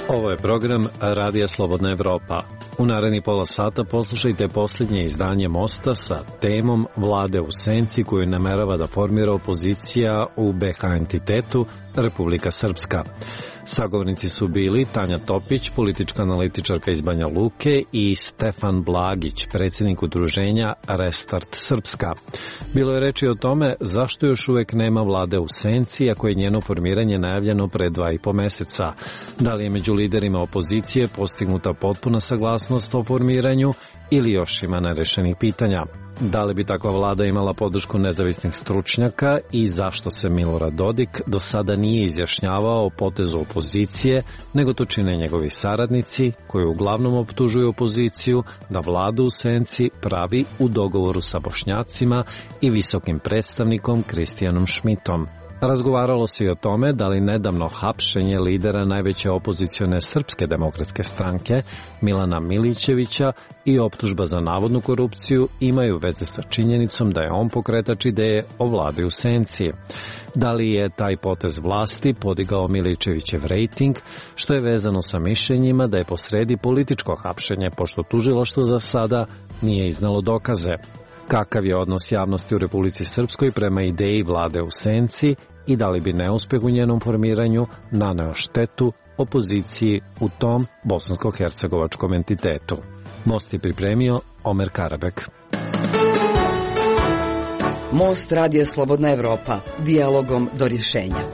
Ovo je program Radija Slobodna Evropa. U narednih pola sata poslušajte posljednje izdanje Mosta sa temom Vlade u senci koju namerava da formira opozicija u BiH entitetu Republika Srpska. Sagovornici su bili Tanja Topić, politička analitičarka iz Banja Luke, i Stefan Blagić, predsjednik udruženja Restart Srpska. Bilo je reči o tome zašto još uvek nema vlade u senci, ako je njeno formiranje najavljeno pre 2,5 meseca. Da li je među liderima opozicije postignuta potpuna saglasnost o formiranju ili još ima nerešenih pitanja? Da li bi takva vlada imala podršku nezavisnih stručnjaka i zašto se Milorad Dodik do sada nije izjašnjavao o potezu opozicije, nego to čine njegovi saradnici, koji uglavnom optužuju opoziciju da vladu u senci pravi u dogovoru sa Bošnjacima i visokim predstavnikom Kristijanom Šmitom. Razgovaralo se i o tome da li nedavno hapšenje lidera najveće opozicione Srpske demokratske stranke, Milana Milićevića, i optužba za navodnu korupciju imaju veze sa činjenicom da je on pokretač ideje o vladi u senci. Da li je taj potez vlasti podigao Milićevićev rejting, što je vezano sa mišljenjima da je posredi političko hapšenje, pošto tužilaštvo za sada nije iznalo dokaze. Kakav je odnos javnosti u Republici Srpskoj prema ideji vlade u senci i da li bi neuspeh u njenom formiranju naneo štetu opoziciji u tom bosansko-hercegovačkom entitetu? Most je pripremio Omer Karabek. Most Radija Slobodna Evropa, dijalogom do rješenja.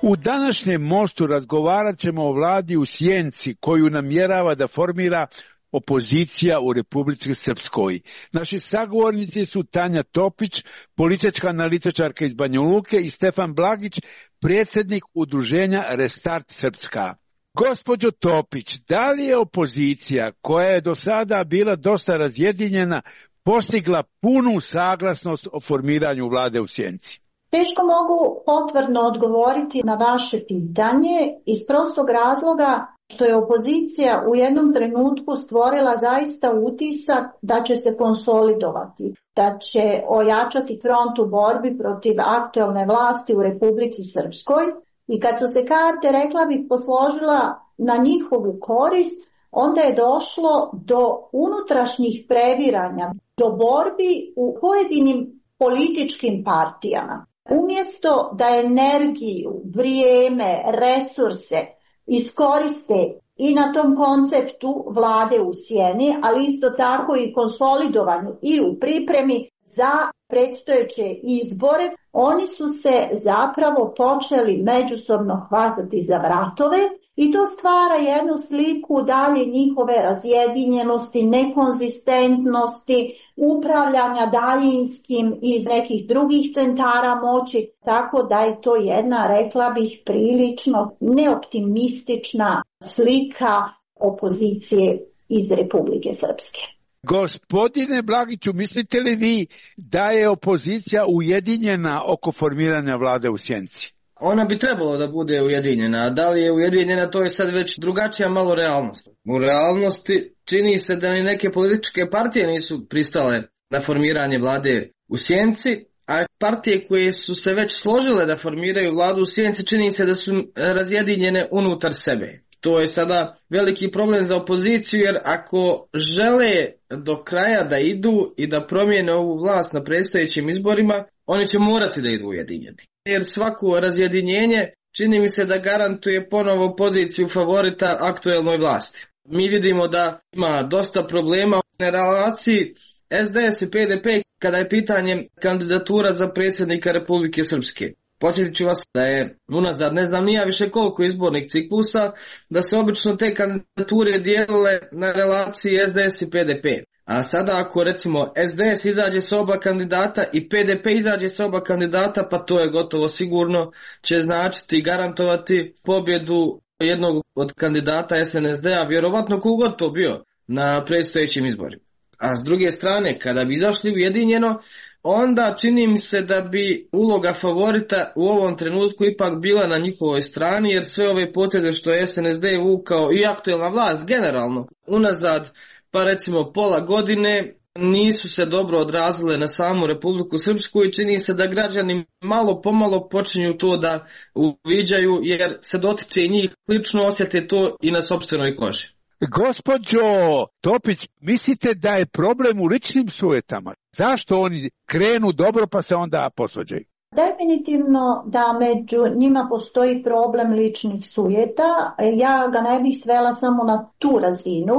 U današnjem Mostu razgovarat ćemo o vladi u sjenci koju namjerava da formira opozicija u Republici Srpskoj. Naši sagovornici su Tanja Topić, politička analitičarka iz Banja Luke, i Stefan Blagić, predsjednik udruženja Restart Srpska. Gospođo Topić, da li je opozicija, koja je do sada bila dosta razjedinjena, postigla punu saglasnost o formiranju vlade u sjenci? Teško mogu potvrdno odgovoriti na vaše pitanje iz prostog razloga što je opozicija u jednom trenutku stvorila zaista utisak da će se konsolidovati, da će ojačati front u borbi protiv aktuelne vlasti u Republici Srpskoj, i kad su se karte, rekla bih, posložila na njihovu korist, onda je došlo do unutrašnjih previranja, do borbi u pojedinim političkim partijama. Umjesto da energiju, vrijeme, resurse iskoriste i na tom konceptu vlade u sjeni, ali isto tako i konsolidovanju i u pripremi za predstojeće izbore, oni su se zapravo počeli međusobno hvatati za vratove i to stvara jednu sliku dalje njihove razjedinjenosti, nekonzistentnosti, upravljanja daljinskim iz nekih drugih centara moći, tako da je to jedna, rekla bih, prilično neoptimistična slika opozicije iz Republike Srpske. Gospodine Blagiću, mislite li vi da je opozicija ujedinjena oko formiranja vlade u sjenci? Ona bi trebalo da bude ujedinjena, a da li je ujedinjena, to je sad već drugačija malo realnost. U realnosti čini se da ni neke političke partije nisu pristale na formiranje vlade u sjenci, a partije koje su se već složile da formiraju vladu u sjenci čini se da su razjedinjene unutar sebe. To je sada veliki problem za opoziciju, jer ako žele do kraja da idu i da promijene ovu vlast na predstojećim izborima, oni će morati da idu ujedinjeni. Jer svako razjedinjenje čini mi se da garantuje ponovo poziciju favorita aktuelnoj vlasti. Mi vidimo da ima dosta problema na relaciji SDS i PDP kada je pitanje kandidatura za predsjednika Republike Srpske. Posjetit ću vas da je unazad ne znam nija više koliko izbornih ciklusa, da se obično te kandidature dijelile na relaciji SDS i PDP. A sada ako recimo SDS izađe sa oba kandidata i PDP izađe sa oba kandidata, pa to je gotovo sigurno će značiti i garantovati pobjedu jednog od kandidata SNSD-a, vjerovatno kogod to bio, na predstojećim izborima. A s druge strane, kada bi izašli ujedinjeno, onda čini mi se da bi uloga favorita u ovom trenutku ipak bila na njihovoj strani, jer sve ove poteze što je SNSD vukao i aktuelna vlast generalno unazad, pa recimo pola godine, nisu se dobro odrazile na samu Republiku Srpsku i čini se da građani malo pomalo počinju to da uviđaju, jer se dotiče i njih, lično osjete to i na sopstvenoj koži. Gospođo Topić, mislite da je problem u ličnim sujetama? Zašto oni krenu dobro pa se onda posvađaju? Definitivno da među njima postoji problem ličnih sujeta. Ja ga ne bih svela samo na tu razinu.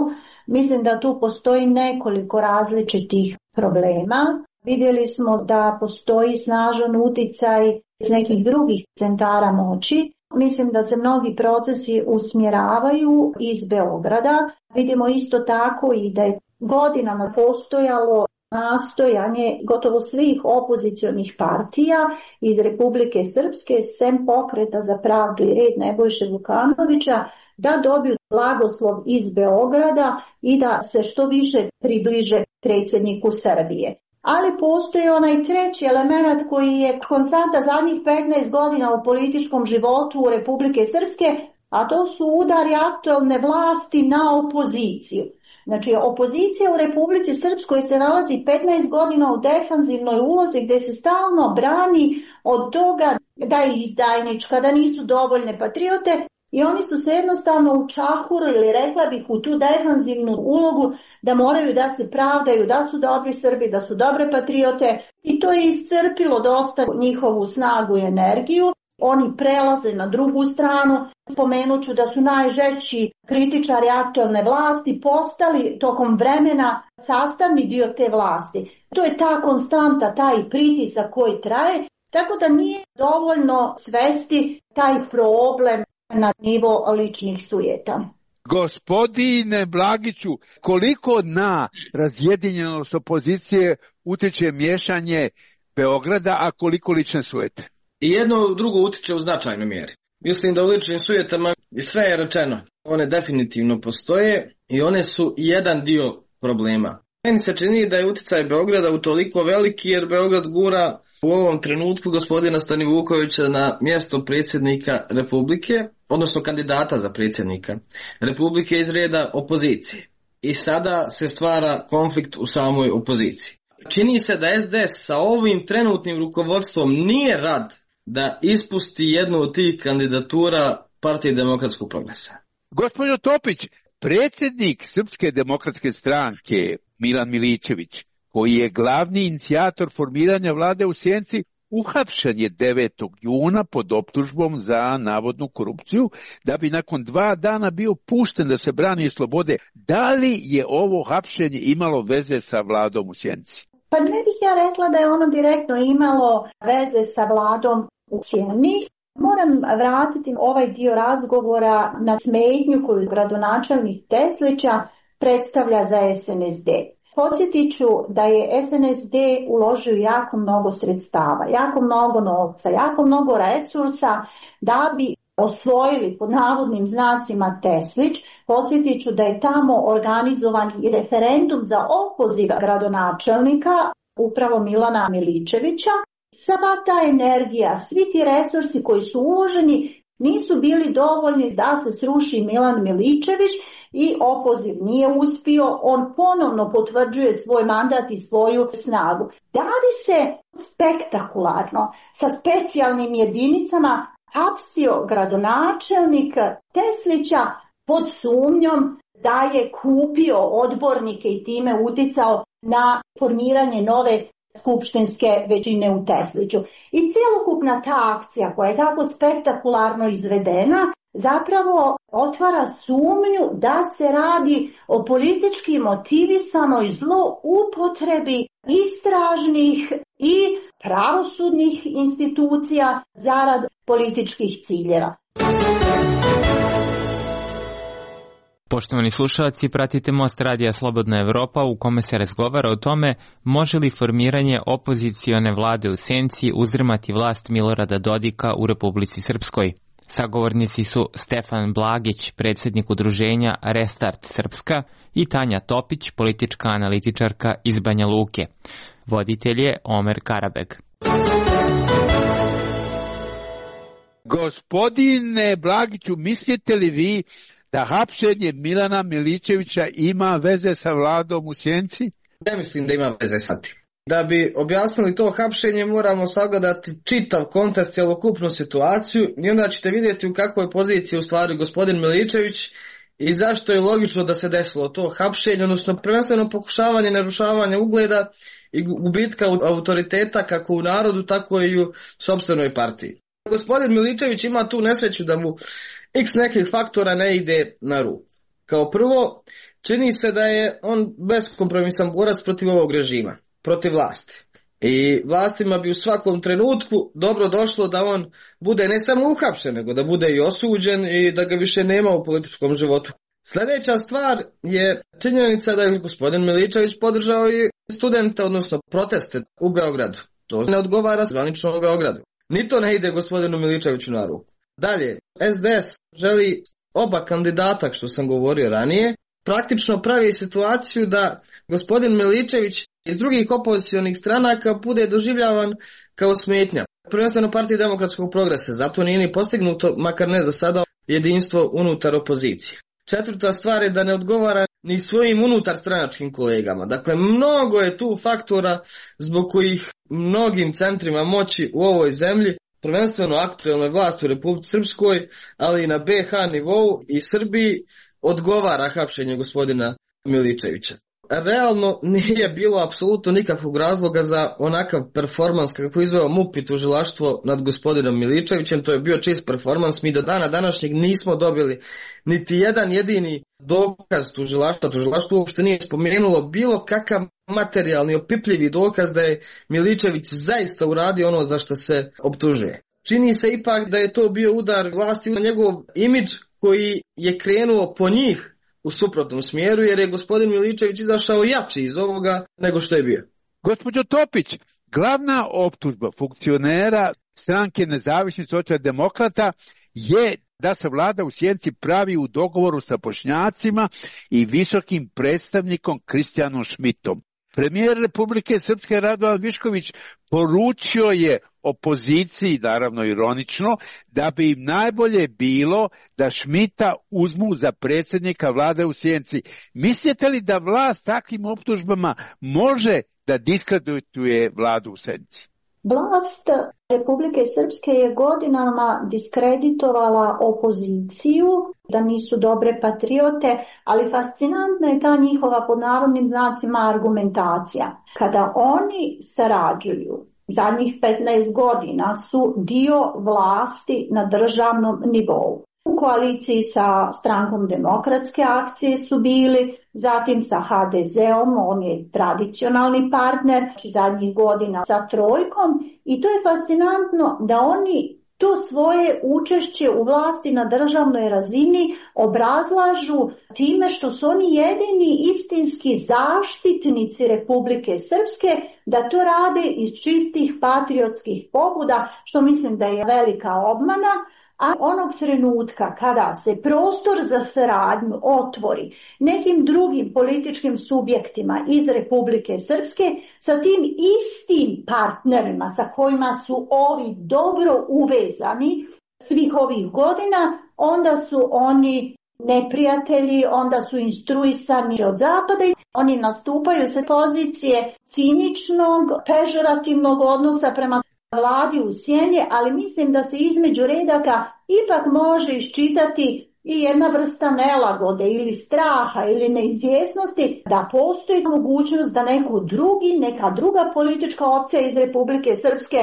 Mislim da tu postoji nekoliko različitih problema. Vidjeli smo da postoji snažan uticaj iz nekih drugih centara moći. Mislim da se mnogi procesi usmjeravaju iz Beograda. Vidimo isto tako i da je godinama postojalo nastojanje gotovo svih opozicionih partija iz Republike Srpske, sem Pokreta za pravdu i red Nebojše Vukanovića, da dobiju blagoslov iz Beograda i da se što više približe predsjedniku Srbije. Ali postoji onaj treći element koji je konstanta zadnjih 15 godina u političkom životu Republike Srpske, a to su udari aktualne vlasti na opoziciju. Znači, opozicija u Republici Srpskoj se nalazi 15 godina u defanzivnoj ulozi gdje se stalno brani od toga da je izdajnička, da nisu dovoljne patriote i oni su se jednostavno učahurili, rekla bih, u tu defanzivnu ulogu da moraju da se pravdaju, da su dobri Srbi, da su dobre patriote i to je iscrpilo dosta njihovu snagu i energiju. Oni prelaze na drugu stranu, spomenut ću da su najžešći kritičari aktualne vlasti postali tokom vremena sastavni dio te vlasti. To je ta konstanta, taj pritisak koji traje, tako da nije dovoljno svesti taj problem na nivo ličnih sujeta. Gospodine Blagiću, koliko na razjedinjenost opozicije utječe miješanje Beograda, a koliko lične sujete? I jedno drugo utiče u značajnoj mjeri. Mislim da u ličnim sujetama sve je rečeno. One definitivno postoje i one su jedan dio problema. Meni se čini da je utjecaj Beograda utoliko veliki jer Beograd gura u ovom trenutku gospodina Stanivukovića na mjesto predsjednika Republike, odnosno kandidata za predsjednika Republike iz reda opozicije. I sada se stvara konflikt u samoj opoziciji. Čini se da SDS sa ovim trenutnim rukovodstvom nije rad da ispusti jednu od tih kandidatura Partije demokratskog progresa. Gospođo Topić, predsjednik Srpske demokratske stranke Milan Miličević, koji je glavni inicijator formiranja vlade u Sjenici, uhapšen je 9. juna pod optužbom za navodnu korupciju, da bi nakon 2 dana bio pušten da se brani slobode. Da li je ovo hapšenje imalo veze sa vladom u Sjenici? Pa ne bih ja rekla da je ono direktno imalo veze sa vladom u Sjeni. Moram vratiti ovaj dio razgovora na smetnju koju gradonačelnik Teslića predstavlja za SNSD. Podsjetit ću da je SNSD uložio jako mnogo sredstava, jako mnogo novca, jako mnogo resursa da bi osvojili pod navodnim znacima Teslić. Podsjetit ću da je tamo organizovan i referendum za opoziv gradonačelnika, upravo Milana Miličevića. Sva ta energija, svi ti resursi koji su uloženi nisu bili dovoljni da se sruši Milan Miličević i opoziv nije uspio. On ponovno potvrđuje svoj mandat i svoju snagu. Da li se spektakularno sa specijalnim jedinicama hapsio gradonačelnik Teslića pod sumnjom da je kupio odbornike i time uticao na formiranje nove skupštinske većine u Tesliću. I cjelokupna ta akcija koja je tako spektakularno izvedena zapravo otvara sumnju da se radi o politički motivisanoj zloupotrebi istražnih i pravosudnih institucija zarad političkih ciljeva. Poštovani slušalci, pratite Most radija Slobodna Evropa u kome se razgovara o tome može li formiranje opozicione vlade u Sjenici uzdrmati vlast Milorada Dodika u Republici Srpskoj. Sagovornici su Stefan Blagić, predsjednik udruženja Restart Srpska, i Tanja Topić, politička analitičarka iz Banja Luke. Voditelj je Omer Karabeg. Gospodine Blagiću, mislite li vi da hapšenje Milana Miličevića ima veze sa vladom u Sjenici? ne mislim da ima veze sa tim. Da bi objasnili to hapšenje moramo sagledati čitav kontekst, cjelokupnu situaciju i onda ćete vidjeti u kakvoj poziciji u stvari gospodin Miličević i zašto je logično da se desilo to hapšenje, odnosno prvenstveno pokušavanje narušavanja ugleda i gubitka autoriteta kako u narodu, tako i u sopstvenoj partiji. Gospodin Miličević ima tu nesreću da mu x nekih faktora ne ide na ruku. Kao prvo, čini se da je on beskompromisan borac protiv ovog režima, protiv vlasti. I vlastima bi u svakom trenutku dobro došlo da on bude ne samo uhapšen, nego da bude i osuđen i da ga više nema u političkom životu. Sljedeća stvar je činjenica da je gospodin Miličević podržao i studente, odnosno proteste u Beogradu. To ne odgovara zvanično u Beogradu. Ni to ne ide gospodinu Miličeviću na ruku. Dalje, SDS želi oba kandidata, što sam govorio ranije, praktično pravi situaciju da gospodin Miličević iz drugih opozicionih stranaka bude doživljavan kao smetnja. Prvenstveno Partiji demokratskog progresa, zato nije ni postignuto, makar ne za sada, jedinstvo unutar opozicije. Četvrta stvar je da ne odgovara ni svojim unutar stranačkim kolegama. Dakle, mnogo je tu faktora zbog kojih mnogim centrima moći u ovoj zemlji, prvenstveno aktuelnoj vlasti u Republici Srpskoj, ali i na BiH nivou i Srbiji, odgovara hapšenje gospodina Miličevića. Realno nije bilo apsolutno nikakvog razloga za onakav performans kako izveo MUP i tužilaštvo nad gospodinom Miličevićem. To je bio čist performans. Mi do dana današnjeg nismo dobili niti jedan jedini dokaz tužilaštva. Tužilaštvo uopšte nije spomenulo bilo kakav materijalni opipljivi dokaz da je Miličević zaista uradio ono za što se optužuje. Čini se ipak da je to bio udar vlasti na njegov imidž koji je krenuo po njih u suprotnom smjeru, jer je gospodin Miličević izašao jači iz ovoga nego što je bio. Gospođo Topić, glavna optužba funkcionera stranke Nezavisnih socijaldemokrata je da se vlada u Sjenici pravi u dogovoru sa Bošnjacima i visokim predstavnikom Kristijanom Šmitom. Premijer Republike Srpske Radovan Višković poručio je opoziciji, naravno ironično, da bi im najbolje bilo da Šmita uzmu za predsjednika vlade u Sjenici. Mislite li da vlast takvim optužbama može da diskredituje vladu u Sjenici? Vlast Republike Srpske je godinama diskreditovala opoziciju, da nisu dobre patriote, ali fascinantna je ta njihova pod navodnim znacima argumentacija. Kada oni sarađuju, zadnjih 15 godina su dio vlasti na državnom nivou. U koaliciji sa strankom Demokratske akcije su bili, zatim sa HDZ-om, on je tradicionalni partner, zadnjih godina sa Trojkom, i to je fascinantno da oni to svoje učešće u vlasti na državnoj razini obrazlažu time što su oni jedini istinski zaštitnici Republike Srpske, da to rade iz čistih patriotskih pobuda, što mislim da je velika obmana. A onog trenutka kada se prostor za saradnju otvori nekim drugim političkim subjektima iz Republike Srpske sa tim istim partnerima sa kojima su ovi dobro uvezani svih ovih godina, onda su oni neprijatelji, onda su instruisani od zapada i oni nastupaju sa pozicije ciničnog, pežorativnog odnosa prema vladi u sjeni, ali mislim da se između redaka ipak može iščitati i jedna vrsta nelagode ili straha ili neizvjesnosti da postoji mogućnost da neka druga politička opcija iz Republike Srpske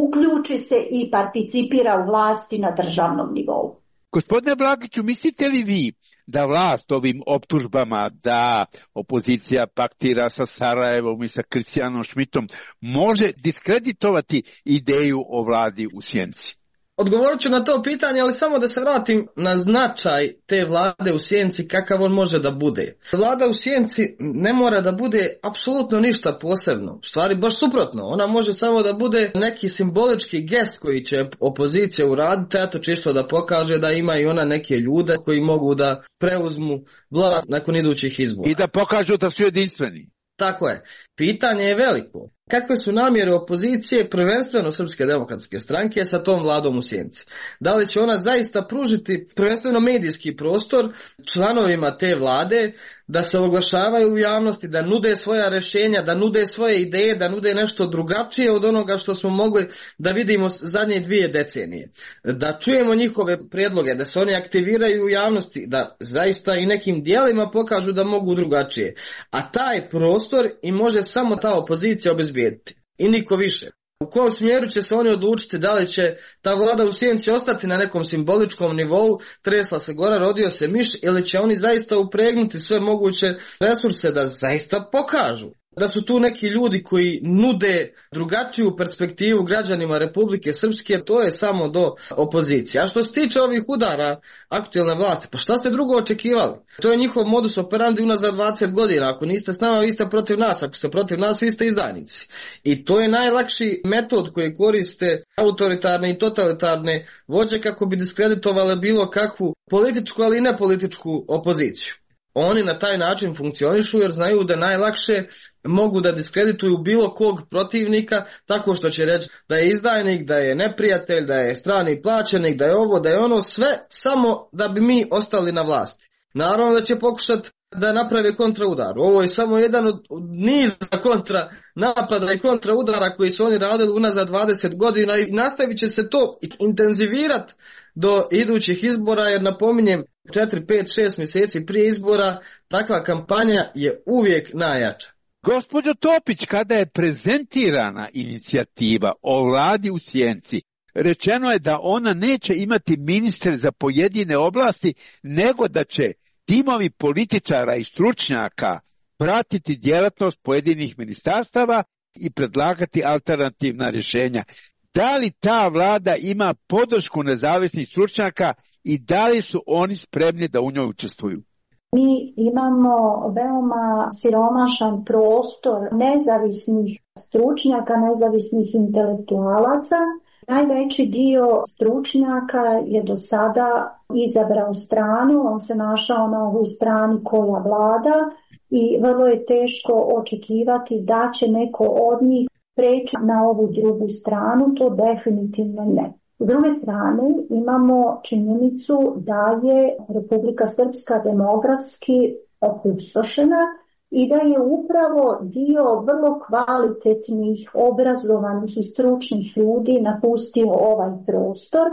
uključi se i participira u vlasti na državnom nivou. Gospodine Blagiću, mislite li vi da vlast ovim optužbama da opozicija paktira sa Sarajevom i sa Kristijanom Šmitom može diskreditovati ideju o vladi u Sjenici? Odgovorit ću na to pitanje, ali samo da se vratim na značaj te vlade u Sjenici, kakav on može da bude. Vlada u Sjenici ne mora da bude apsolutno ništa posebno. U stvari baš suprotno. Ona može samo da bude neki simbolički gest koji će opozicija uraditi, eto čisto da pokaže da ima i ona neke ljude koji mogu da preuzmu vlast nakon idućih izbora. I da pokažu da su jedinstveni. Tako je. Pitanje je veliko. kakve su namjere opozicije, prvenstveno Srpske demokratske stranke, sa tom vladom u sjenci. Da li će ona zaista pružiti prvenstveno medijski prostor članovima te vlade da se oglašavaju u javnosti, da nude svoja rješenja, da nude svoje ideje, da nude nešto drugačije od onoga što smo mogli da vidimo zadnje 2 decenije. Da čujemo njihove prijedloge, da se oni aktiviraju u javnosti, da zaista i nekim dijelima pokažu da mogu drugačije. A taj prostor i može samo ta opozicija obezbijediti. I niko više. U kom smjeru će se oni odlučiti, da li će ta vlada u sjenci ostati na nekom simboličkom nivou, tresla se gora, rodio se miš, ili će oni zaista upregnuti sve moguće resurse da zaista pokažu da su tu neki ljudi koji nude drugačiju perspektivu građanima Republike Srpske, to je samo do opozicije. A što se tiče ovih udara aktualne vlasti, pa šta ste drugo očekivali? To je njihov modus operandi unazad 20 godina. Ako niste s nama, vi ste protiv nas. Ako ste protiv nas, vi ste izdajnici. I to je najlakši metod koji koriste autoritarne i totalitarne vođe kako bi diskreditovale bilo kakvu političku, ali i nepolitičku opoziciju. Oni na taj način funkcionišu jer znaju da najlakše mogu da diskredituju bilo kog protivnika tako što će reći da je izdajnik, da je neprijatelj, da je strani plaćenik, da je ovo, da je ono, sve samo da bi mi ostali na vlasti. Naravno da će pokušati da naprave kontraudar. Ovo je samo jedan od niza kontra napada i kontraudara koji su oni radili unazad 20 godina i nastavit će se to intenzivirati do idućih izbora, jer napominjem 4, 5, 6 mjeseci prije izbora takva kampanja je uvijek najjača. Gospođo Topić, kada je prezentirana inicijativa o vladi u sjenci, rečeno je da ona neće imati ministre za pojedine oblasti, nego da će timovi političara i stručnjaka pratiti djelatnost pojedinih ministarstava i predlagati alternativna rješenja. Da li ta vlada ima podršku nezavisnih stručnjaka i da li su oni spremni da u njoj učestvuju? Mi imamo veoma siromašan prostor nezavisnih stručnjaka, nezavisnih intelektualaca. Najveći dio stručnjaka je do sada izabrao stranu, on se našao na ovoj strani koja vlada i vrlo je teško očekivati da će neko od njih preći na ovu drugu stranu, to definitivno ne. S druge strane imamo činjenicu da je Republika Srpska demografski opustošena i da je upravo dio vrlo kvalitetnih, obrazovanih i stručnih ljudi napustio ovaj prostor.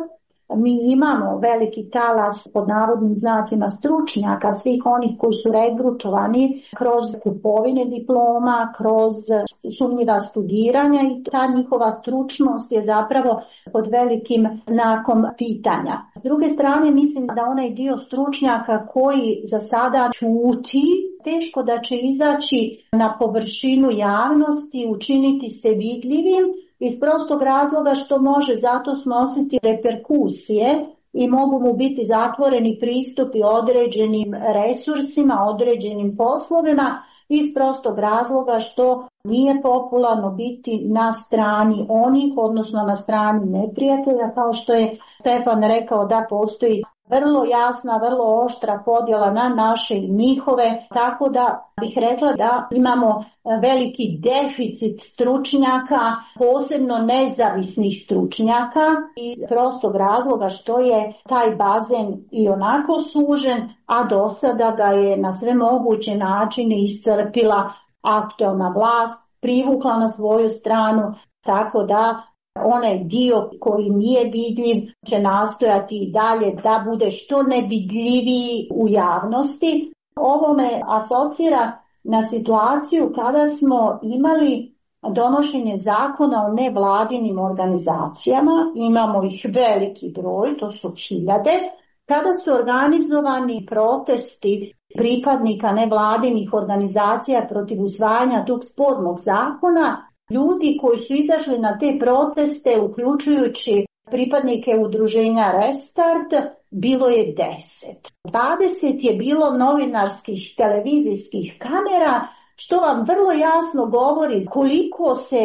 Mi imamo veliki talas pod navodnim znacima stručnjaka, svih onih koji su regrutovani kroz kupovine diploma, kroz sumnjiva studiranja i ta njihova stručnost je zapravo pod velikim znakom pitanja. S druge strane mislim da onaj dio stručnjaka koji za sada ćuti, teško da će izaći na površinu javnosti, učiniti se vidljivim, iz prostog razloga što može zato snositi reperkusije i mogu mu biti zatvoreni pristupi određenim resursima, određenim poslovima, iz prostog razloga što nije popularno biti na strani onih, odnosno na strani neprijatelja, kao što je Stefan rekao da postoji vrlo jasna, vrlo oštra podjela na naše i njihove, tako da bih rekla da imamo veliki deficit stručnjaka, posebno nezavisnih stručnjaka, iz prostog razloga što je taj bazen i onako sužen, a do sada ga je na sve moguće načine iscrpila aktualna vlast, privukla na svoju stranu, tako da onaj dio koji nije vidljiv će nastojati i dalje da bude što nevidljiviji u javnosti. Ovo me asocira na situaciju kada smo imali donošenje zakona o nevladinim organizacijama, imamo ih veliki broj, to su hiljade, kada su organizovani protesti pripadnika nevladinih organizacija protiv usvajanja tog spornog zakona. Ljudi koji su izašli na te proteste, uključujući pripadnike udruženja Restart, bilo je 10. 20 je bilo novinarskih, televizijskih kamera, što vam vrlo jasno govori koliko se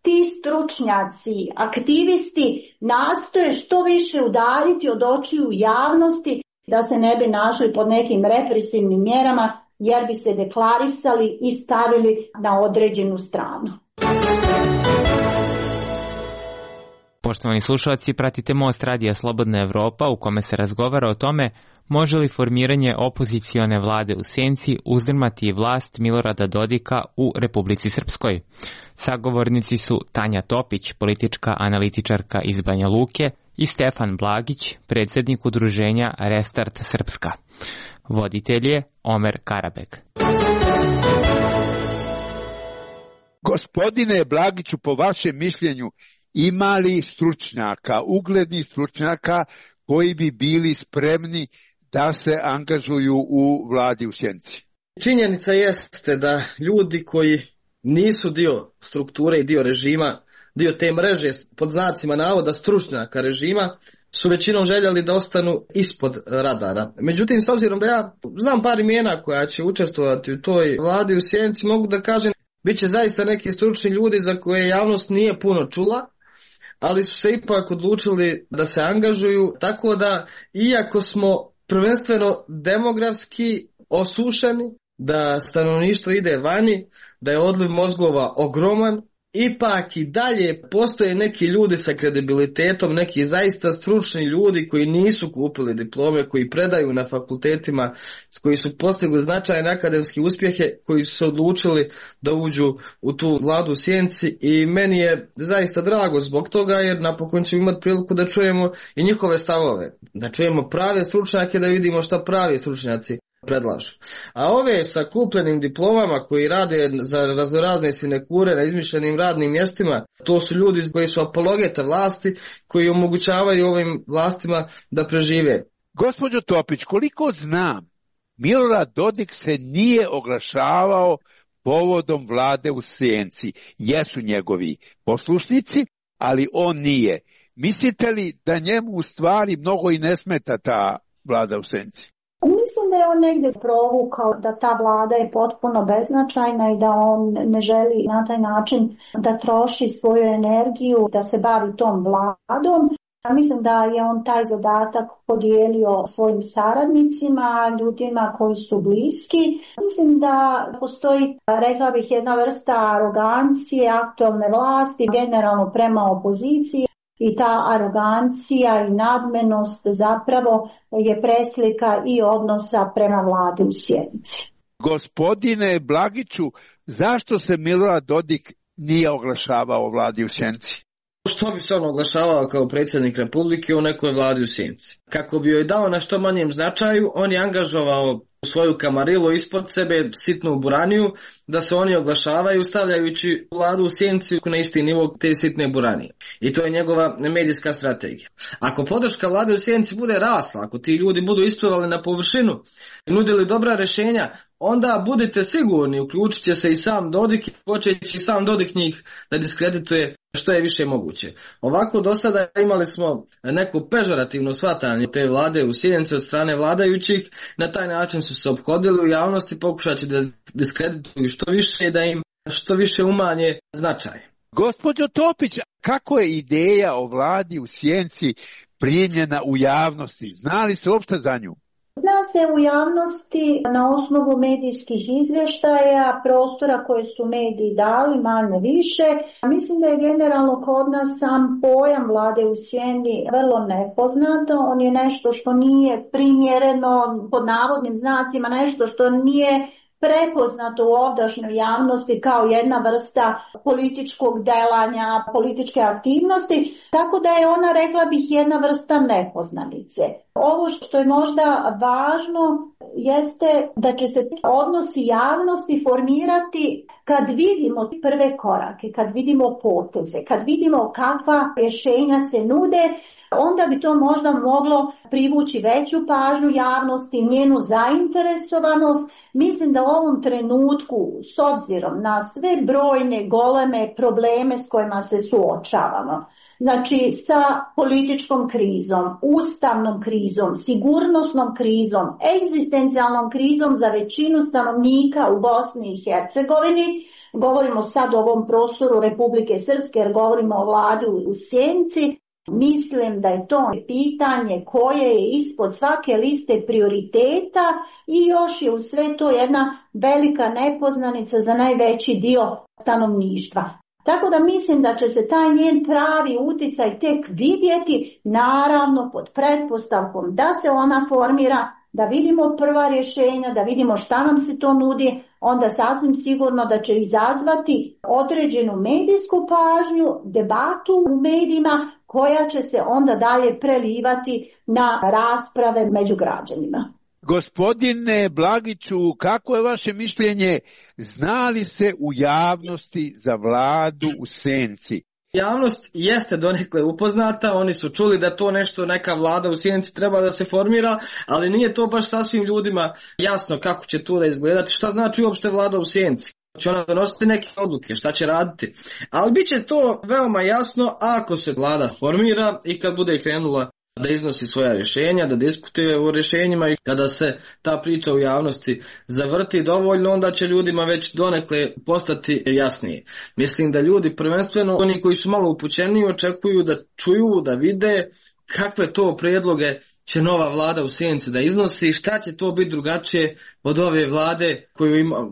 ti stručnjaci, aktivisti nastoje što više udaljiti od očiju javnosti da se ne bi našli pod nekim represivnim mjerama jer bi se deklarisali i stavili na određenu stranu. Poštovani slušalci, pratite Most radija Slobodna Evropa u kome se razgovara o tome može li formiranje opozicione vlade u senci uzdrmati vlast Milorada Dodika u Republici Srpskoj. Sagovornici su Tanja Topić, politička analitičarka iz Banja Luke, i Stefan Blagić, predsjednik udruženja Restart Srpska. Voditelj je Omer Karabek. Gospodine Blagiću, po vašem mišljenju, ima li stručnjaka, uglednih stručnjaka koji bi bili spremni da se angažuju u vladi u senci? Činjenica jeste da ljudi koji nisu dio strukture i dio režima, dio te mreže pod znacima navoda stručnjaka režima, su većinom željeli da ostanu ispod radara. Međutim, s obzirom da ja znam par imena koja će učestvovati u toj vladi u senci, mogu da kažem bit će zaista neki stručni ljudi za koje javnost nije puno čula, ali su se ipak odlučili da se angažuju, tako da iako smo prvenstveno demografski osušeni, da stanovništvo ide vani, da je odliv mozgova ogroman, ipak i dalje postoje neki ljudi sa kredibilitetom, neki zaista stručni ljudi koji nisu kupili diplome, koji predaju na fakultetima, koji su postigli značajne akademske uspjehe, koji su se odlučili da uđu u tu vladu u senci, i meni je zaista drago zbog toga, jer napokon ćemo imati priliku da čujemo i njihove stavove, da čujemo prave stručnjake, da vidimo šta pravi stručnjaci predlažu. A ove sa kupljenim diplomama koji rade za raznorazne sinekure na izmišljenim radnim mjestima, to su ljudi koji su apologeta vlasti, koji omogućavaju ovim vlastima da prežive. Gospođo Topić, koliko znam, Milorad Dodik se nije oglašavao povodom vlade u senci. Jesu njegovi poslušnici, ali on nije. Mislite li da njemu u stvari mnogo i ne smeta ta vlada u senci? Mislim da je on negdje provukao da ta vlada je potpuno beznačajna i da on ne želi na taj način da troši svoju energiju, da se bavi tom vladom. Mislim da je on taj zadatak podijelio svojim saradnicima, ljudima koji su bliski. Mislim da postoji, rekla bih, jedna vrsta arogancije aktualne vlasti, generalno prema opoziciji. I ta arogancija i nadmenost zapravo je preslika i odnosa prema vladi u senci. Gospodine Blagiću, zašto se Milorad Dodik nije oglašavao o vladi u senci? Što bi se on oglašavao kao predsjednik Republike u nekoj vladi u senci? Kako bi joj dao na što manjem značaju, on je angažovao svoju kamarilu ispod sebe, sitnu buraniju, da se oni oglašavaju stavljajući vladu u senci na isti nivo te sitne buranije. I to je njegova medijska strategija. Ako podrška vlade u senci bude rasla, ako ti ljudi budu isplivali na površinu i nudili dobra rješenja, onda budite sigurni, uključit će se i sam Dodik i počeći sam Dodik njih da diskredituje što je više moguće. Ovako do sada imali smo neko pežorativno shvatanje te vlade u senci od strane vladajućih, na taj način su se ophodili u javnosti pokušajući da diskredituju što više i da im što više umanje značaj. Gospođo Topić, kako je ideja o vladi u senci primljena u javnosti? Zna li se uopšte za nju? Zna se u javnosti na osnovu medijskih izvještaja, prostora koje su mediji dali, manje više. Mislim da je generalno kod nas sam pojam vlade u sjeni vrlo nepoznato. On je nešto što nije primjereno, pod navodnim znacima, nešto što nije prepoznato u ovdašnjoj javnosti kao jedna vrsta političkog delanja, političke aktivnosti, tako da je ona, rekla bih, jedna vrsta nepoznanice. Ovo što je možda važno jeste da će se odnosi javnosti formirati kad vidimo prve korake, kad vidimo poteze, kad vidimo kakva rješenja se nude, onda bi to možda moglo privući veću pažnju javnosti, njenu zainteresovanost. Mislim da u ovom trenutku, s obzirom na sve brojne goleme probleme s kojima se suočavamo, znači sa političkom krizom, ustavnom krizom, sigurnosnom krizom, egzistencijalnom krizom za većinu stanovnika u Bosni i Hercegovini, govorimo sad o ovom prostoru Republike Srpske jer govorimo o vladi u senci, mislim da je to pitanje koje je ispod svake liste prioriteta i još je u sve to jedna velika nepoznanica za najveći dio stanovništva. Tako da mislim da će se taj njen pravi uticaj tek vidjeti, naravno pod pretpostavkom da se ona formira, da vidimo prva rješenja, da vidimo šta nam se to nudi, onda sasvim sigurno da će izazvati određenu medijsku pažnju, debatu u medijima koja će se onda dalje prelivati na rasprave među građanima. Gospodine Blagiću, kako je vaše mišljenje, zna li se u javnosti za vladu u senci? Javnost jeste donekle upoznata, oni su čuli da to nešto, neka vlada u sjenci treba da se formira, ali nije to baš sasvim ljudima jasno kako će to da izgledati, šta znači uopšte vlada u sjenci. Će ona donositi neke odluke, šta će raditi. Ali bit će to veoma jasno ako se vlada formira i kad bude krenula da iznosi svoja rješenja, da diskutuje o rješenjima i kada se ta priča u javnosti zavrti dovoljno, onda će ljudima već donekle postati jasnije. Mislim da ljudi, prvenstveno oni koji su malo upućeni, očekuju da čuju, da vide kakve to prijedloge će nova vlada u sjenci da iznosi, šta će to biti drugačije od ove vlade koju ima.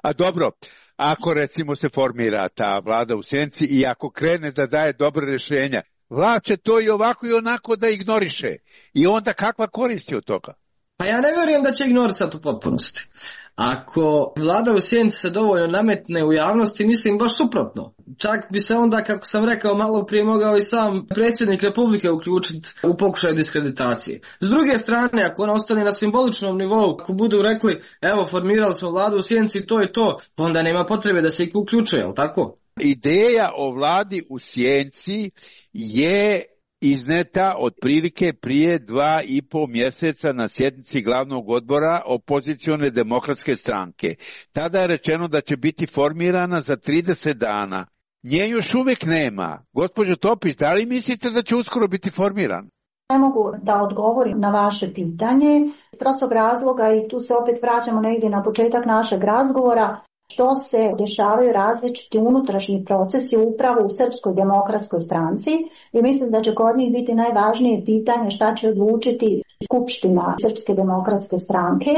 A dobro, ako recimo se formira ta vlada u sjenci i ako krene da daje dobre rješenja, vlast će to i ovako i onako da ignoriše. I onda kakva koristi od toga? Pa ja ne vjerujem da će ignorisati u potpunosti. Ako vlada u sjenci se dovoljno nametne u javnosti, mislim baš suprotno. Čak bi se onda, kako sam rekao malo prije, mogao i sam predsjednik Republike uključiti u pokušaj diskreditacije. S druge strane, ako ona ostane na simboličnom nivou, ako budu rekli, evo formirali smo vladu u sjenci, to je to, onda nema potrebe da se ih uključuje, jel tako? Ideja o vladi u sjenci je izneta otprilike prije 2,5 mjeseca na sjednici glavnog odbora opozicione demokratske stranke. Tada je rečeno da će biti formirana za 30 dana. Nje još uvijek nema. Gospođo Topić, da li mislite da će uskoro biti formirana? Ne mogu da odgovorim na vaše pitanje iz prostog razloga i tu se opet vraćamo negdje na početak našeg razgovora. Što se dešavaju različiti unutrašnji procesi upravo u Srpskoj demokratskoj stranci i mislim da će kod njih biti najvažnije pitanje šta će odlučiti Skupština Srpske demokratske stranke,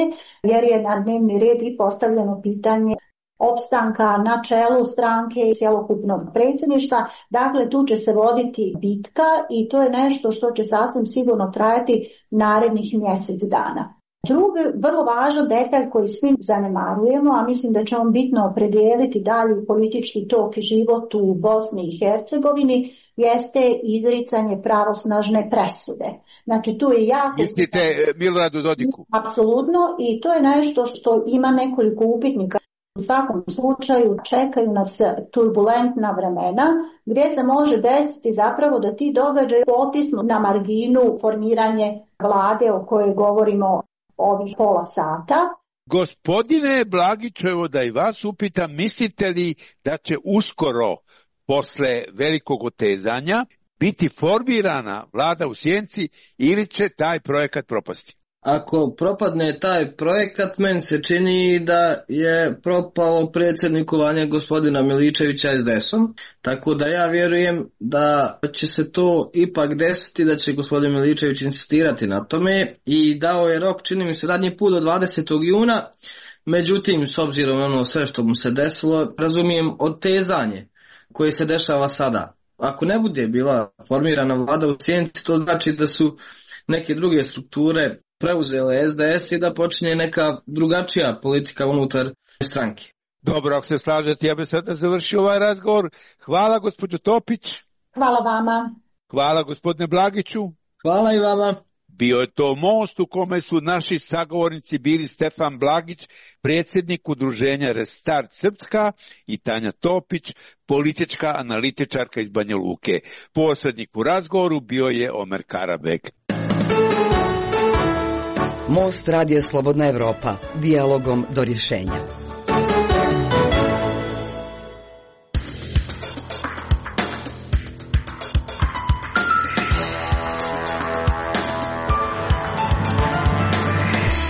jer je na dnevni red i postavljeno pitanje opstanka na čelu stranke i cjelokupnog predsjedništva. Dakle, tu će se voditi bitka i to je nešto što će sasvim sigurno trajati narednih mjesec dana. Drugi vrlo važan detalj koji svi zanemarujemo, a mislim da će on bitno opredijeliti dalje politički tok i život u Bosni i Hercegovini, jeste izricanje pravosnažne presude. Znači tu je jako... Mislite Miloradu Dodiku? Apsolutno, i to je nešto što ima nekoliko upitnika. U svakom slučaju čekaju nas turbulentna vremena gdje se može desiti zapravo da ti događaji potisnu na marginu formiranje vlade o kojoj govorimo ovih pola sata. Gospodine Blagiću, evo da i vas upitam, mislite li da će uskoro, posle velikog otezanja, biti formirana vlada u sjenci ili će taj projekat propasti? Ako propadne taj projekat, meni se čini da je propalo predsjednikovanje gospodina Miličevića SDS-om, tako da ja vjerujem da će se to ipak desiti, da će gospodin Miličević insistirati na tome i dao je rok, čini mi se, zadnji put do 20. juna, međutim, s obzirom na ono sve što mu se desilo, razumijem otezanje koje se dešava sada. Ako ne bude bila formirana vlada u sjenci, to znači da su neke druge strukture preuzele SDS i da počinje neka drugačija politika unutar stranke. Dobro, ako se slažete, ja bih sada završio ovaj razgovor. Hvala gospođo Topić. Hvala vama. Hvala gospodine Blagiću. Hvala i vama. Bio je to most u kome su naši sagovornici bili Stefan Blagić, predsjednik udruženja Restart Srpska, i Tanja Topić, politička analitičarka iz Banja Luke. Posrednik u razgovoru bio je Omer Karabek. Most Radija Slobodna Evropa, dijalogom do rješenja.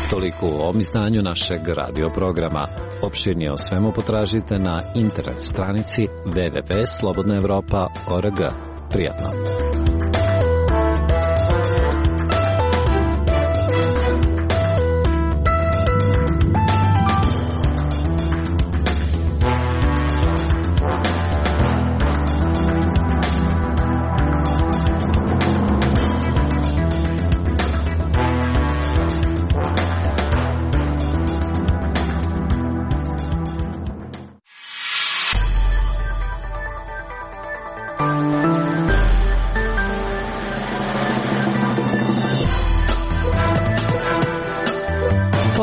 Toliko u ovom izdanju našeg radio programa. Opširnije o svemu potražite na internet stranici www.slobodnaevropa.org. Prijatno!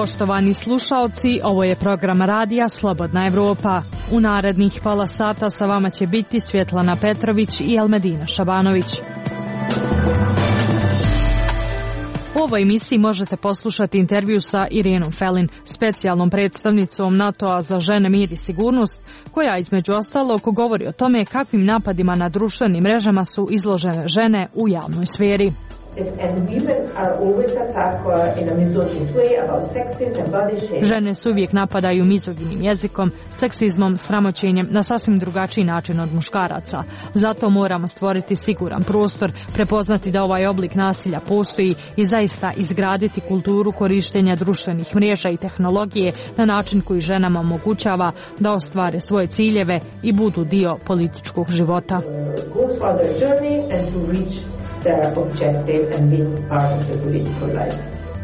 Poštovani slušaoci, ovo je program radija Slobodna Evropa. U narednih pola sata sa vama će biti Svjetlana Petrović i Elmedina Šabanović. U ovoj emisiji možete poslušati intervju sa Irenom Felin, specijalnom predstavnicom NATO-a za žene, mir i sigurnost, koja između ostalog govori o tome kakvim napadima na društvenim mrežama su izložene žene u javnoj sferi. Žene se uvijek napadaju mizoginim jezikom, seksizmom, sramoćenjem na sasvim drugačiji način od muškaraca. Zato moramo stvoriti siguran prostor, prepoznati da ovaj oblik nasilja postoji i zaista izgraditi kulturu korištenja društvenih mreža i tehnologije na način koji ženama omogućava da ostvare svoje ciljeve i budu dio političkog života.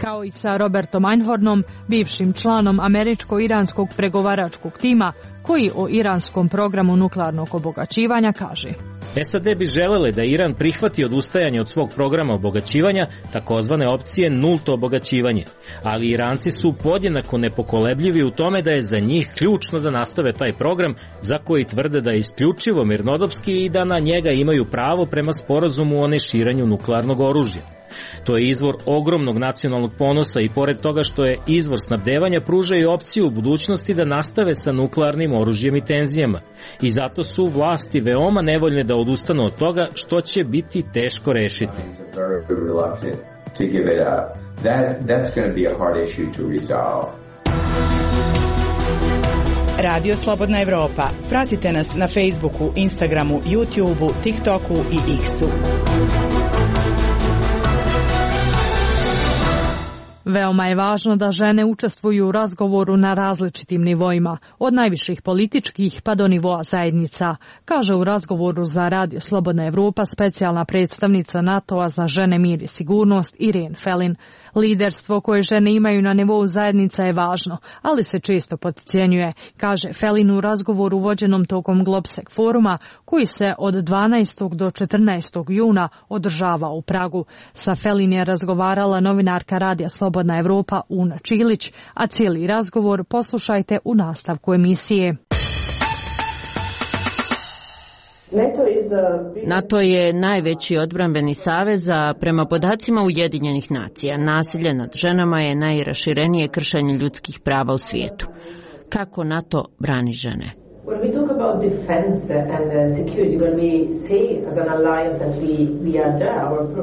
Kao i sa Robertom Einhornom, bivšim članom američko-iranskog pregovaračkog tima, koji o iranskom programu nuklearnog obogaćivanja kaže: SAD bi želele da Iran prihvati odustajanje od svog programa obogaćivanja, takozvane opcije nulto obogaćivanje, ali Iranci su podjednako nepokolebljivi u tome da je za njih ključno da nastave taj program za koji tvrde da je isključivo mirnodopski i da na njega imaju pravo prema sporazumu o neširanju nuklearnog oružja. To je izvor ogromnog nacionalnog ponosa i pored toga što je izvor snabdevanja, pruža i opciju u budućnosti da nastave sa nuklearnim oružjem i tenzijama. I zato su vlasti veoma nevoljne da odustanu od toga, što će biti teško rešiti. Radio Slobodna Evropa. Pratite nas na Facebooku, Instagramu, YouTubeu, TikToku i X-u. Veoma je važno da žene učestvuju u razgovoru na različitim nivoima, od najviših političkih pa do nivoa zajednica, kaže u razgovoru za Radio Slobodna Evropa specijalna predstavnica NATO-a za žene, mir i sigurnost Irene Felin. Liderstvo koje žene imaju na nivou zajednica je važno, ali se često potcijenjuje, kaže Felin u razgovoru vođenom tokom Globsec foruma, koji se od 12. do 14. juna održava u Pragu. Sa Felin je razgovarala novinarka Radija Slobodna Evropa Una Čilić, a cijeli razgovor poslušajte u nastavku emisije. NATO je najveći odbrambeni savez, a prema podacima Ujedinjenih nacija, nasilje nad ženama je najraširenije kršenje ljudskih prava u svijetu. Kako NATO brani žene?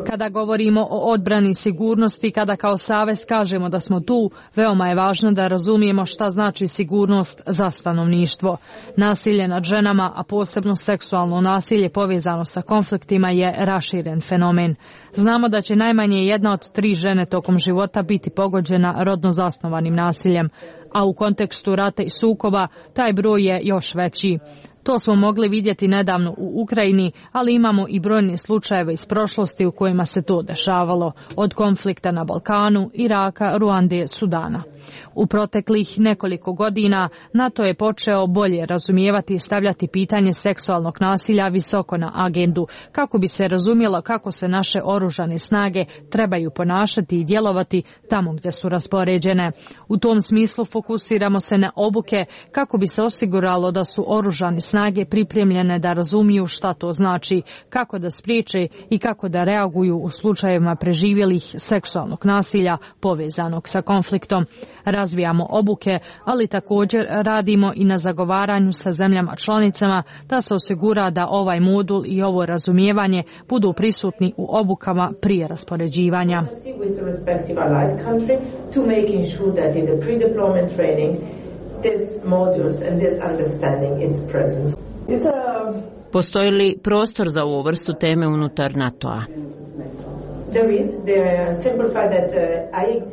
Kada govorimo o odbrani sigurnosti, kada kao savez kažemo da smo tu, veoma je važno da razumijemo šta znači sigurnost za stanovništvo. Nasilje nad ženama, a posebno seksualno nasilje povezano sa konfliktima, je raširen fenomen. Znamo da će najmanje 1 od 3 žene tokom života biti pogođena rodno zasnovanim nasiljem, a u kontekstu rata i sukoba taj broj je još veći. To smo mogli vidjeti nedavno u Ukrajini, ali imamo i brojne slučajeve iz prošlosti u kojima se to dešavalo, od konflikta na Balkanu, Iraka, Ruande, Sudana. U proteklih nekoliko godina NATO je počeo bolje razumijevati i stavljati pitanje seksualnog nasilja visoko na agendu, kako bi se razumjelo kako se naše oružane snage trebaju ponašati i djelovati tamo gdje su raspoređene. U tom smislu fokusiramo se na obuke kako bi se osiguralo da su oružane snage pripremljene da razumiju šta to znači, kako da spriječe i kako da reaguju u slučajevima preživjelih seksualnog nasilja povezanog sa konfliktom. Razvijamo obuke, ali također radimo i na zagovaranju sa zemljama članicama da se osigura da ovaj modul i ovo razumijevanje budu prisutni u obukama prije raspoređivanja. Postoji li prostor za ovu vrstu teme unutar NATO-a?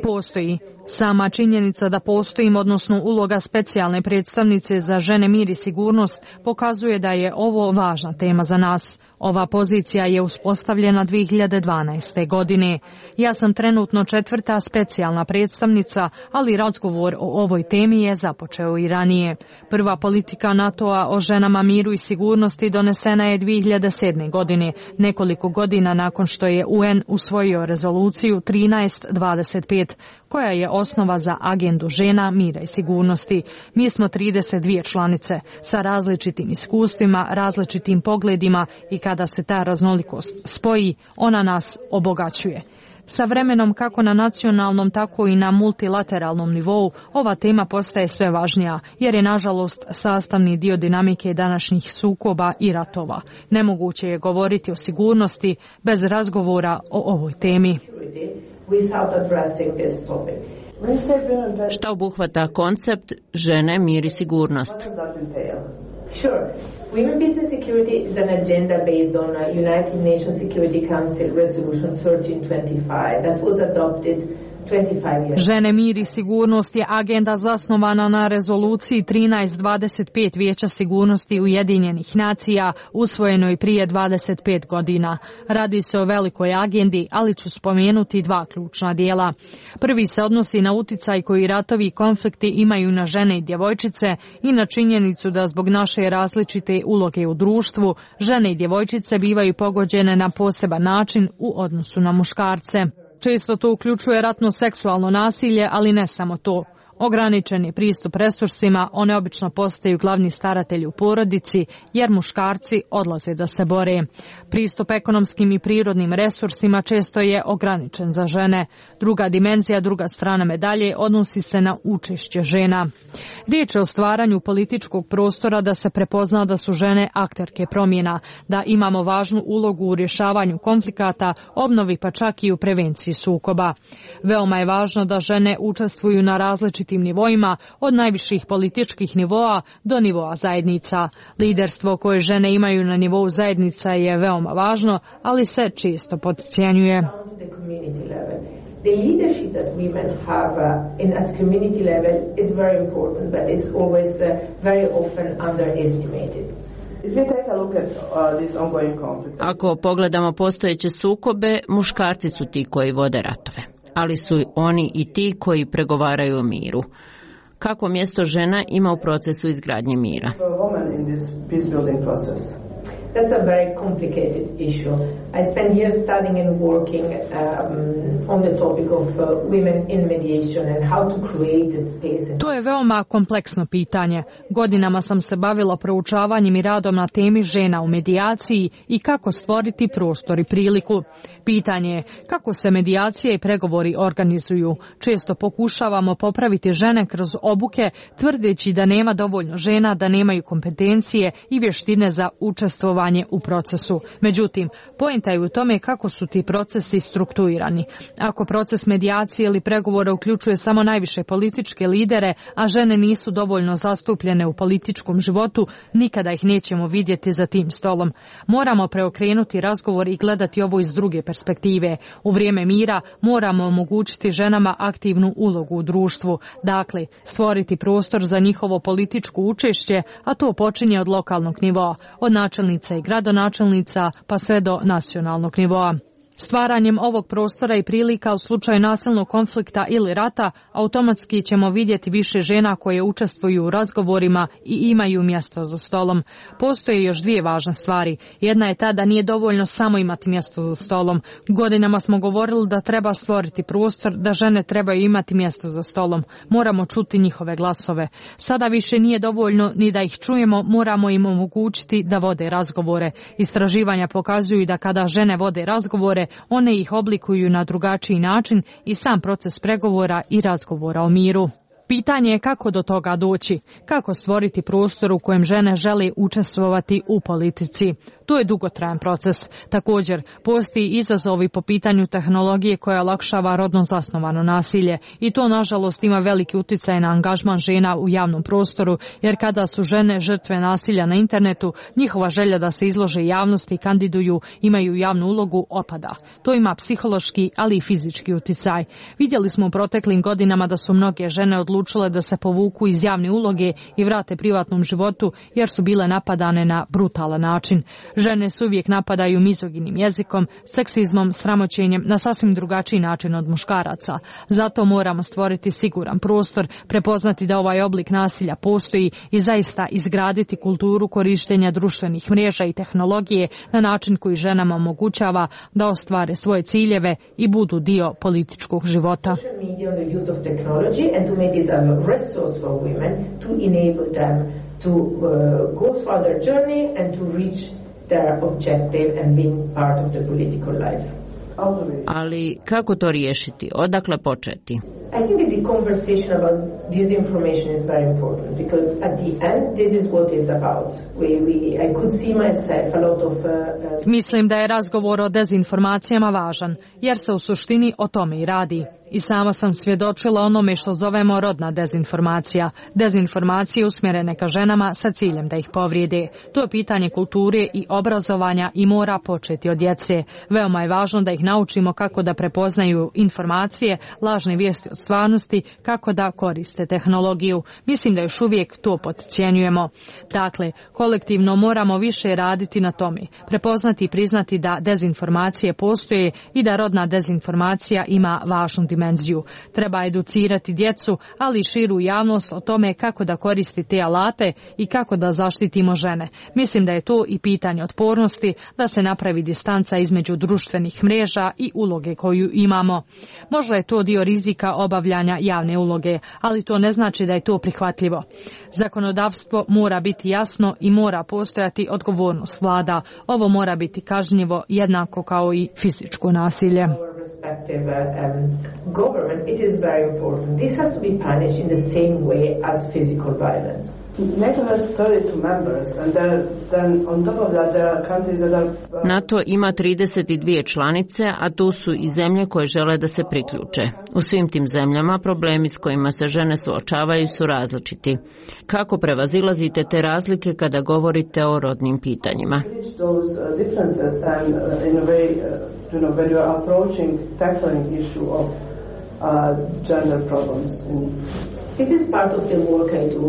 Postoji. Sama činjenica da postojim, odnosno uloga specijalne predstavnice za žene, mir i sigurnost, pokazuje da je ovo važna tema za nas. Ova pozicija je uspostavljena 2012. godine. Ja sam trenutno 4. specijalna predstavnica, ali razgovor o ovoj temi je započeo i ranije. Prva politika NATO-a o ženama, miru i sigurnosti donesena je 2007. godine, nekoliko godina nakon što je UN usvojio rezoluciju 1325, koja je osnova za agendu žena, mira i sigurnosti. Mi smo 32 članice sa različitim iskustvima, različitim pogledima i kada se ta raznolikost spoji, ona nas obogaćuje. Sa vremenom kako na nacionalnom, tako i na multilateralnom nivou ova tema postaje sve važnija, jer je nažalost sastavni dio dinamike današnjih sukoba i ratova. Nemoguće je govoriti o sigurnosti bez razgovora o ovoj temi. Šta obuhvata koncept žene, mir i sigurnost? Sure. Women, peace and security is an agenda based on United Nations Security Council Resolution 1325 that was adopted 25 years. Žene, mir i sigurnost je agenda zasnovana na rezoluciji 1325 Vijeća sigurnosti Ujedinjenih nacija, usvojenoj prije 25 godina. Radi se o velikoj agendi, ali ću spomenuti dva ključna dijela. Prvi se odnosi na uticaj koji ratovi i konflikti imaju na žene i djevojčice i na činjenicu da zbog naše različite uloge u društvu, žene i djevojčice bivaju pogođene na poseban način u odnosu na muškarce. Često to uključuje ratno seksualno nasilje, ali ne samo to. Ograničen je pristup resursima, one obično postaju glavni staratelji u porodici, jer muškarci odlaze da se bore. Pristup ekonomskim i prirodnim resursima često je ograničen za žene. Druga dimenzija, druga strana medalje, odnosi se na učešće žena. Riječ je o stvaranju političkog prostora da se prepozna da su žene akterke promjena, da imamo važnu ulogu u rješavanju konflikata, obnovi pa čak i u prevenciji sukoba. Veoma je važno da žene učestvuju na različitim nivoima, od najviših političkih nivoa do nivoa zajednica. Liderstvo koje žene imaju na nivou zajednica je veoma važno, ali se često podcijenjuje. The leadership that women have at community level is very important, but it's always very often underestimated. Ako pogledamo postojeće sukobe, muškarci su ti koji vode ratove, ali su oni i ti koji pregovaraju o miru. Kako mjesto žena ima u procesu izgradnje mira? That's a very complicated issue. I spent years studying and working on the topic of women in mediation and how to create a space. To je veoma kompleksno pitanje. Godinama sam se bavila proučavanjem i radom na temi žena u medijaciji i kako stvoriti prostor i priliku. Pitanje je kako se medijacije i pregovori organizuju. Često pokušavamo popraviti žene kroz obuke, tvrdeći da nema dovoljno žena, da nemaju kompetencije i vještine za učestvovanje u procesu. Međutim, poenta je u tome kako su ti procesi strukturirani. Ako proces medijacije ili pregovora uključuje samo najviše političke lidere, a žene nisu dovoljno zastupljene u političkom životu, nikada ih nećemo vidjeti za tim stolom. Moramo preokrenuti razgovor i gledati ovo iz druge perspektive. U vrijeme mira moramo omogućiti ženama aktivnu ulogu u društvu. Dakle, stvoriti prostor za njihovo političko učešće, a to počinje od lokalnog nivoa, od načelnica i gradonačelnica pa sve do nacionalnog nivoa. Stvaranjem ovog prostora i prilika u slučaju nasilnog konflikta ili rata, automatski ćemo vidjeti više žena koje učestvuju u razgovorima i imaju mjesto za stolom. Postoje još dvije važne stvari. Jedna je ta da nije dovoljno samo imati mjesto za stolom. Godinama smo govorili da treba stvoriti prostor, da žene trebaju imati mjesto za stolom. Moramo čuti njihove glasove. Sada više nije dovoljno ni da ih čujemo, moramo im omogućiti da vode razgovore. Istraživanja pokazuju da kada žene vode razgovore, one ih oblikuju na drugačiji način i sam proces pregovora i razgovora o miru. Pitanje je kako do toga doći, kako stvoriti prostor u kojem žene žele učestvovati u politici. To je dugotrajan proces. Također, postoji izazovi po pitanju tehnologije koja olakšava rodno zasnovano nasilje i to nažalost ima veliki utjecaj na angažman žena u javnom prostoru, jer kada su žene žrtve nasilja na internetu, njihova želja da se izlože javnosti i kandiduju, imaju javnu ulogu, opada. To ima psihološki, ali i fizički utjecaj. Vidjeli smo u proteklim godinama da su mnoge žene odlučile da se povuku iz javne uloge i vrate privatnom životu jer su bile napadane na brutalan način. Žene se uvijek napadaju mizoginim jezikom, seksizmom, sramoćenjem na sasvim drugačiji način od muškaraca. Zato moramo stvoriti siguran prostor, prepoznati da ovaj oblik nasilja postoji i zaista izgraditi kulturu korištenja društvenih mreža i tehnologije na način koji ženama omogućava da ostvare svoje ciljeve i budu dio političkog života. Ali kako to riješiti? Odakle početi? I think that the conversation about disinformation is very important because at the end this is what it's about. I could see myself a lot of Mislim da je razgovor o dezinformacijama važan, jer se u suštini o tome i radi. I sama sam svjedočila onome što zovemo rodna dezinformacija. Dezinformacije usmjerene ka ženama sa ciljem da ih povrijede. To je pitanje kulture i obrazovanja i mora početi od djece. Veoma je važno da ih naučimo kako da prepoznaju informacije, lažne vijesti od stvarnosti, kako da koriste tehnologiju. Mislim da još uvijek to potcijenjujemo. Dakle, kolektivno moramo više raditi na tome. Prepoznati i priznati da dezinformacije postoje i da rodna dezinformacija ima važnu dimenziju. Treba educirati djecu, ali i širu javnost o tome kako da koristi te alate i kako da zaštitimo žene. Mislim da je to i pitanje otpornosti, da se napravi distanca između društvenih mreža i uloge koju imamo. Možda je to dio rizika obavljanja javne uloge, ali to ne znači da je to prihvatljivo. Zakonodavstvo mora biti jasno i mora postojati odgovornost vlada. Ovo mora biti kažnjivo jednako kao i fizičko nasilje. Government, it is very important. This has to be punished in the same way as physical violence. NATO ima 32 članice, a tu su i zemlje koje žele da se priključe. U svim tim zemljama problemi s kojima se žene suočavaju su različiti. Kako prevazilazite te razlike kada govorite o rodnim pitanjima? This is part of the work I do.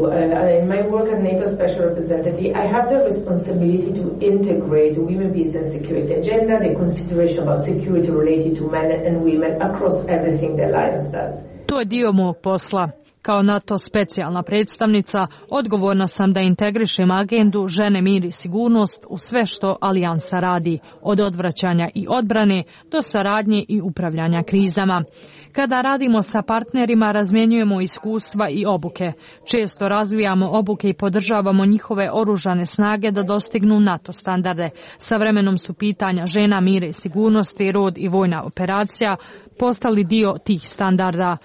In my work as NATO Special Representative, I have the responsibility to integrate women, peace and security agenda, the consideration about security related to men and women across everything the alliance does. To je dio mog posla. Kao NATO specijalna predstavnica, odgovorna sam da integrišem agendu žene, mir i sigurnost u sve što alijansa radi, od odvraćanja i odbrane do saradnje i upravljanja krizama. Kada radimo sa partnerima, razmjenjujemo iskustva i obuke. Često razvijamo obuke i podržavamo njihove oružane snage da dostignu NATO standarde. Sa vremenom su pitanja žena, mira i sigurnosti, rod i vojna operacija postali dio tih standarda.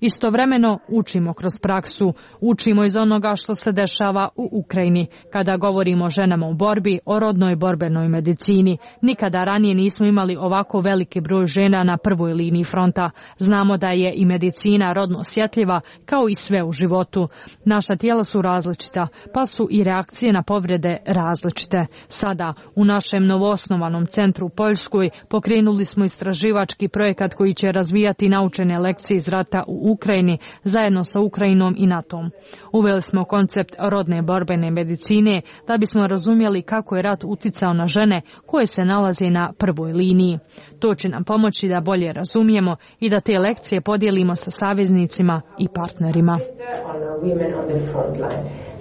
Istovremeno učimo kroz praksu, učimo iz onoga što se dešava u Ukrajini. Kada govorimo o ženama u borbi, o rodnoj borbenoj medicini, nikada ranije nismo imali ovako veliki broj žena na prvoj liniji fronta. Znamo da je i medicina rodno osjetljiva kao i sve u životu. Naša tijela su različita, pa su i reakcije na povrede različite. Sada, u našem novoosnovanom centru u Poljskoj, pokrenuli smo istraživački projekat koji će razvijati naučene lekcije iz rata u Ukrajini zajedno sa Ukrajinom i NATO-om. Uveli smo koncept rodne borbene medicine da bismo razumjeli kako je rat uticao na žene koje se nalaze na prvoj liniji. To će nam pomoći da bolje razumijemo i da te lekcije podijelimo sa saveznicima i partnerima.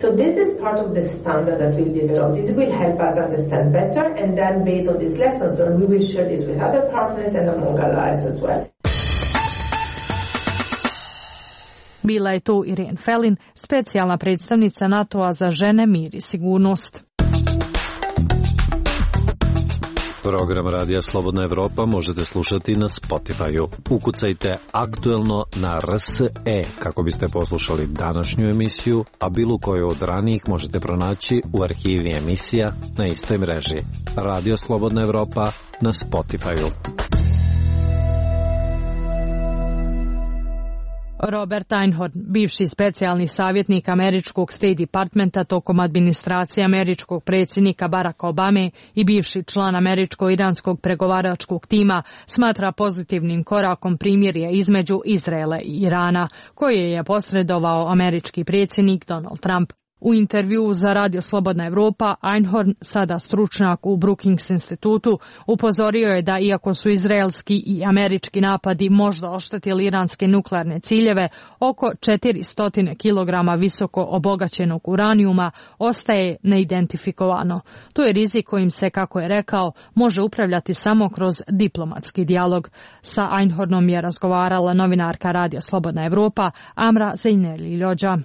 So this is part of the standard that we'll develop. This will help us understand better, and then based on these lessons learned, we will share this with other partners and among allies as well. Bila je tu Irene Felin, specijalna predstavnica NATO-a za žene, mir i sigurnost. Program Radija Slobodna Evropa možete slušati na Spotify-u. Ukucajte aktuelno na RSE kako biste poslušali današnju emisiju, a bilo koju od ranijih možete pronaći u arhivi emisija na istoj mreži. Radio Slobodna Evropa na Spotify-u. Robert Einhorn, bivši specijalni savjetnik američkog State Departmenta tokom administracije američkog predsjednika Baracka Obame i bivši član američko-iranskog pregovaračkog tima, smatra pozitivnim korakom primirje između Izraela i Irana, koje je posredovao američki predsjednik Donald Trump. U intervjuu za Radio Slobodna Evropa, Einhorn, sada stručnjak u Brookings institutu, upozorio je da iako su izraelski i američki napadi možda oštetili iranske nuklearne ciljeve, oko 400 kg visoko obogaćenog uranijuma ostaje neidentifikovano. To je rizik kojim se, kako je rekao, može upravljati samo kroz diplomatski dijalog. Sa Einhornom je razgovarala novinarka Radio Slobodna Evropa Amra Zeineli-Ljođa.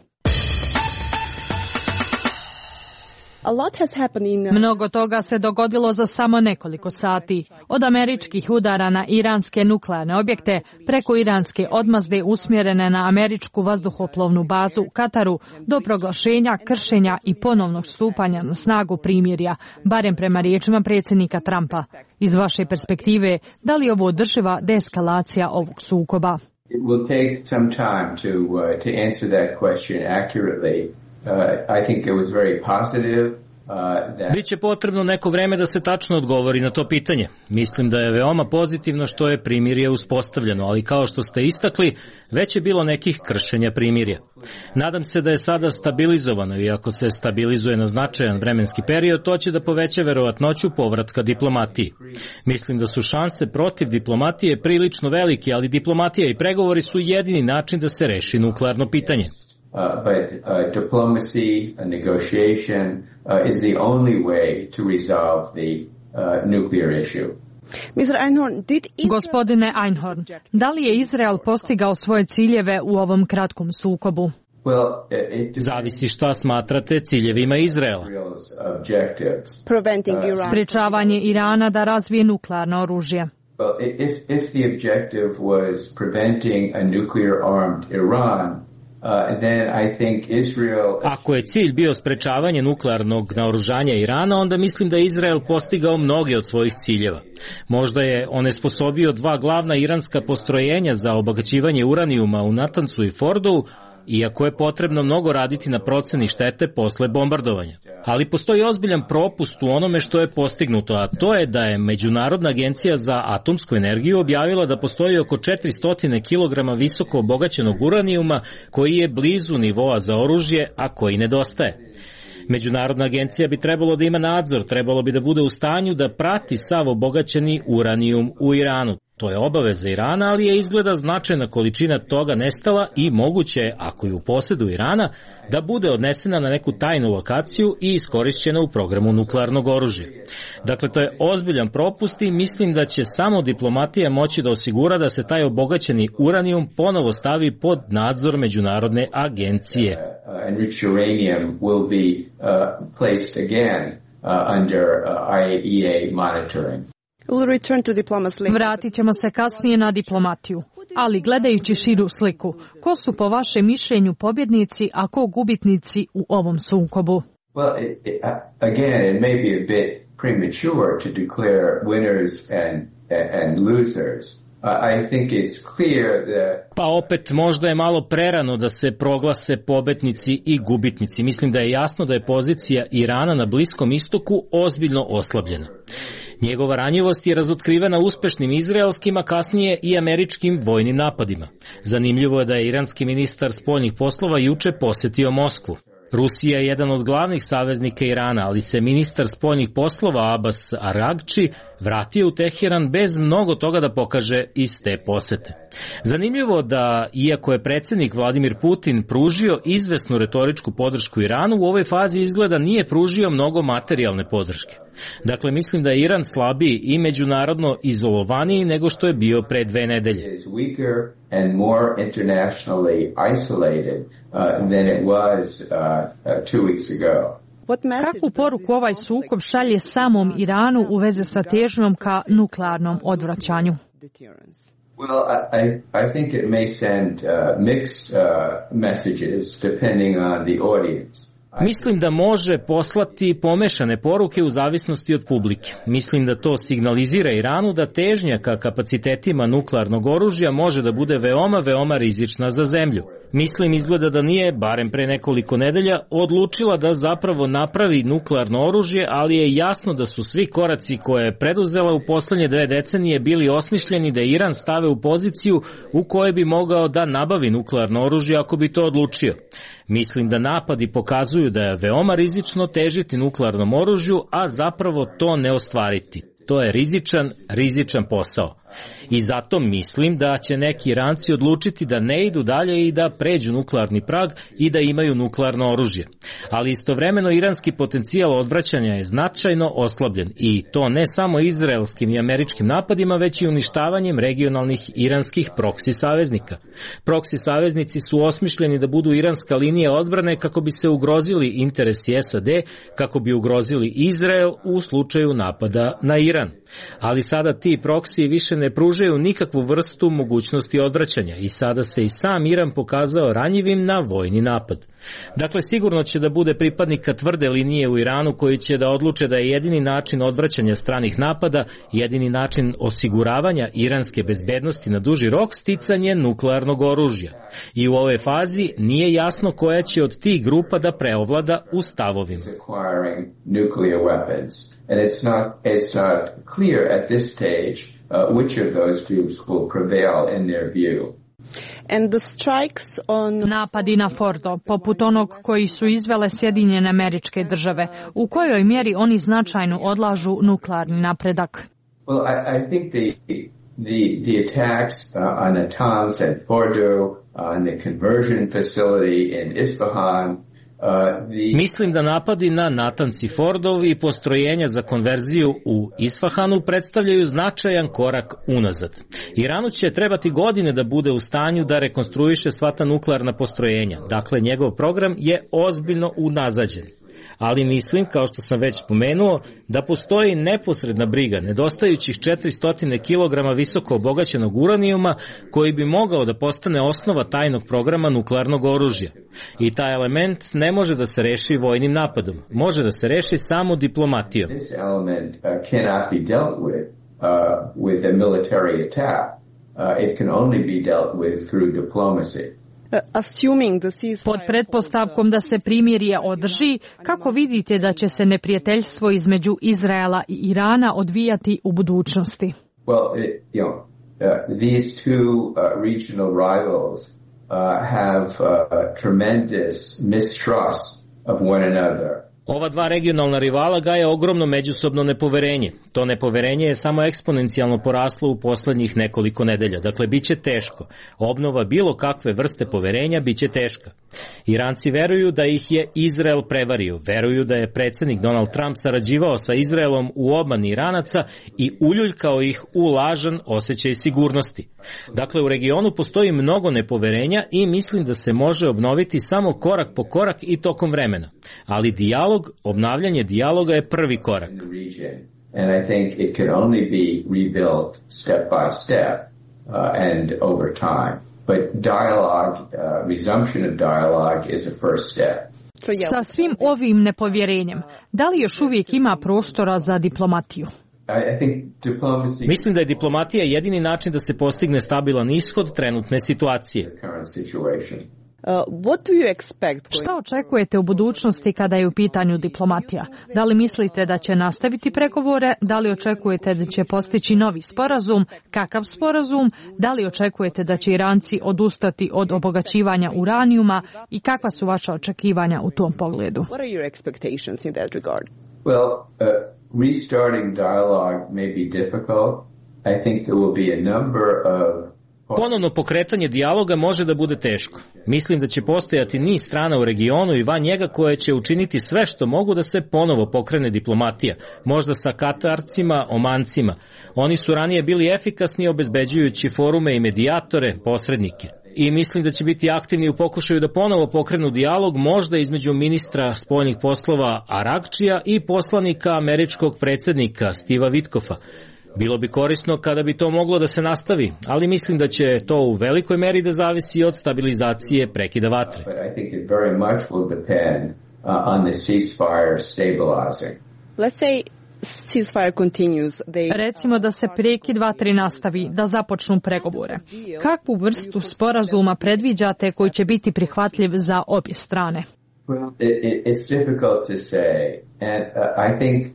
Mnogo toga se dogodilo za samo nekoliko sati. Od američkih udara na iranske nuklearne objekte, preko iranske odmazde usmjerene na američku vazduhoplovnu bazu u Kataru, do proglašenja, kršenja i ponovnog stupanja na snagu primirja, barem prema riječima predsjednika Trumpa. Iz vaše perspektive, da li ovo održiva deeskalacija ovog sukoba? It will take some time to answer that question accurately. I think it was very positive. Biće potrebno neko vreme da se tačno odgovori na to pitanje. Mislim da je veoma pozitivno što je primirje uspostavljeno, ali kao što ste istakli, već je bilo nekih kršenja primirja. Nadam se da je sada stabilizovano i ako se stabilizuje na značajan vremenski period, to će da poveća verovatnoću povratka diplomatiji. Mislim da su šanse protiv diplomatije prilično velike, ali diplomatija i pregovori su jedini način da se reši nuklearno pitanje. But diplomacy, negotiation is the only way to resolve the nuclear issue. Gospodine Einhorn, da li je Izrael postigao svoje ciljeve u ovom kratkom sukobu? Zavisi šta smatrate ciljevima Izraela. Sprečavanje Irana da razvije nuklearno oružje. If the objective was preventing a nuclear-armed Iran, Ako je cilj bio sprečavanje nuklearnog naoružanja Irana, onda mislim da je Izrael postigao mnoge od svojih ciljeva. Možda je onesposobio 2 glavna iranska postrojenja za obogaćivanje uranijuma u Natancu i Fordovu, iako je potrebno mnogo raditi na proceni štete posle bombardovanja. Ali postoji ozbiljan propust u onome što je postignuto, a to je da je Međunarodna agencija za atomsku energiju objavila da postoji oko 400 kg visoko obogaćenog uranijuma koji je blizu nivoa za oružje, a koji nedostaje. Međunarodna agencija bi trebalo da ima nadzor, trebalo bi da bude u stanju da prati sav obogaćeni uranijum u Iranu. To je obaveza Irana, ali je izgleda značajna količina toga nestala i moguće je, ako je u posedu Irana, da bude odnesena na neku tajnu lokaciju i iskorišćena u programu nuklearnog oružja. Dakle, to je ozbiljan propust i mislim da će samo diplomatija moći da osigura da se taj obogaćeni uranijum ponovo stavi pod nadzor Međunarodne agencije. Enriched uranium will be placed again under IAEA monitoring. Vratit ćemo se kasnije na diplomatiju, ali gledajući širu sliku, ko su po vašem mišljenju pobjednici, a ko gubitnici u ovom sukobu? Well, again, it may be a bit premature to declare winners and losers. I think it's clear that... Pa opet možda je malo prerano da se proglase pobednici i gubitnici. Mislim da je jasno da je pozicija Irana na Bliskom istoku ozbiljno oslabljena. Njegova ranjivost je razotkrivena uspešnim izraelskim, a kasnije i američkim vojnim napadima. Zanimljivo je da je iranski ministar spoljnih poslova juče posetio Moskvu. Rusija je jedan od glavnih saveznika Irana, ali se ministar spoljnih poslova Abbas Aragči vratio u Teheran bez mnogo toga da pokaže iz te posete. Zanimljivo da, iako je predsjednik Vladimir Putin pružio izvesnu retoričku podršku Iranu, u ovoj fazi izgleda nije pružio mnogo materijalne podrške. Dakle, mislim da je Iran slabiji i međunarodno izolovaniji nego što je bio pre 2 nedelje. Kakvu poruku ovaj sukob šalje samom Iranu u vezi sa težnjom ka nuklearnom odvraćanju? Well, I think it may send mixed messages depending on the audience. Mislim da može poslati pomešane poruke u zavisnosti od publike. Mislim da to signalizira Iranu da težnja ka kapacitetima nuklearnog oružja može da bude veoma rizična za zemlju. Mislim izgleda da nije, barem pre nekoliko nedelja, odlučila da zapravo napravi nuklearno oružje, ali je jasno da su svi koraci koje je preduzela u poslednje 2 decenije bili osmišljeni da Iran stave u poziciju u kojoj bi mogao da nabavi nuklearno oružje ako bi to odlučio. Mislim da napadi pokazuju ukazuju da je veoma rizično težiti nuklearnom oružju, a zapravo to ne ostvariti. To je rizičan posao. I zato mislim da će neki Iranci odlučiti da ne idu dalje i da pređu nuklearni prag i da imaju nuklearno oružje. Ali istovremeno iranski potencijal odvraćanja je značajno oslabljen i to ne samo izraelskim i američkim napadima, već i uništavanjem regionalnih iranskih proksi saveznika. Proksi saveznici su osmišljeni da budu iranska linija odbrane kako bi se ugrozili interesi SAD, kako bi ugrozili Izrael u slučaju napada na Iran. Ali sada ti proksi više ne pružaju nikakvu vrstu mogućnosti odvraćanja i sada se i sam Iran pokazao ranjivim na vojni napad. Dakle, sigurno će da bude pripadnika tvrde linije u Iranu koji će da odluče da je jedini način odvraćanja stranih napada, jedini način osiguravanja iranske bezbednosti na duži rok sticanje nuklearnog oružja. I u ovoj fazi nije jasno koja će od tih grupa da preovlada u stavovima. And it's not clear at this stage which of those groups will prevail in their view. And the strikes on... Napadi na Fordo, poput onog koji su izvele Sjedinjene Američke Države, u kojoj mjeri oni značajno odlažu nuklearni napredak? Well, I think the attacks on Natanz and Fordo, on the conversion facility in Isfahan. Mislim da napadi na Natanz i Fordov i postrojenja za konverziju u Isfahanu predstavljaju značajan korak unazad. Iranu će trebati godine da bude u stanju da rekonstruiše sva ta nuklearna postrojenja. Dakle, njegov program je ozbiljno unazađen. Ali mislim, kao što sam već spomenuo, da postoji neposredna briga nedostajućih 400 kg visoko obogaćenog uranijuma koji bi mogao da postane osnova tajnog programa nuklearnog oružja. I taj element ne može da se reši vojnim napadom, može da se reši samo diplomatijom. This element cannot be dealt with a military attack. It can only be dealt with through diplomacy. Pod pretpostavkom da se primirje održi, kako vidite da će se neprijateljstvo između Izraela i Irana odvijati u budućnosti? Well, these two regional rivals have tremendous mistrust of one another. Ova dva regionalna rivala gaje ogromno međusobno nepoverenje. To nepoverenje je samo eksponencijalno poraslo u poslednjih nekoliko nedelja. Dakle, bit će teško. Obnova bilo kakve vrste poverenja bit će teška. Iranci veruju da ih je Izrael prevario. Veruju da je predsjednik Donald Trump sarađivao sa Izraelom u obmani Iranaca i uljuljkao ih u lažan osjećaj sigurnosti. Dakle, u regionu postoji mnogo nepoverenja i mislim da se može obnoviti samo korak po korak i tokom vremena. Ali obnavljanje dijaloga je prvi korak. And I think it can only be rebuilt step by step and over time. But dialogue, resumption of dialogue is a first step. Sa svim ovim nepovjerenjem, da li još uvijek ima prostora za diplomatiju? Mislim da je diplomatija jedini način da se postigne stabilan ishod trenutne situacije. Šta očekujete u budućnosti kada je u pitanju diplomatija? Da li mislite da će nastaviti pregovore? Da li očekujete da će postići novi sporazum? Kakav sporazum? Da li očekujete da će Iranci odustati od obogaćivanja uranijuma? I kakva su vaša očekivanja u tom pogledu? Well, restarting dialogue may be difficult. I think there will be a number of Ponovno pokretanje dijaloga može da bude teško. Mislim da će postojati niz strana u regionu i van njega koje će učiniti sve što mogu da se ponovo pokrene diplomatija, možda sa Katarcima, Omancima. Oni su ranije bili efikasni obezbeđujući forume i medijatore, posrednike. I mislim da će biti aktivni u pokušaju da ponovo pokrenu dijalog, možda između ministra spoljnih poslova Arakčija i poslanika američkog predsjednika Steva Witkoffa. Bilo bi korisno kada bi to moglo da se nastavi, ali mislim da će to u velikoj meri da zavisi od stabilizacije prekida vatre. Recimo da se prekid vatre nastavi, da započnu pregovore. Kakvu vrstu sporazuma predviđate koji će biti prihvatljiv za obje strane? It's difficult to say, and I think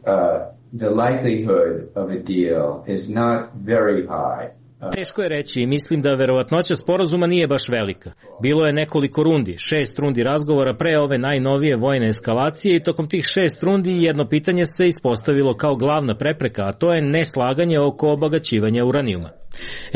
the likelihood of a deal is not very high. Teško je reći i mislim da verovatnoća sporazuma nije baš velika. Bilo je nekoliko rundi, 6 rundi razgovora pre ove najnovije vojne eskalacije i tokom tih 6 rundi jedno pitanje se ispostavilo kao glavna prepreka, a to je neslaganje oko obogaćivanja uranijuma.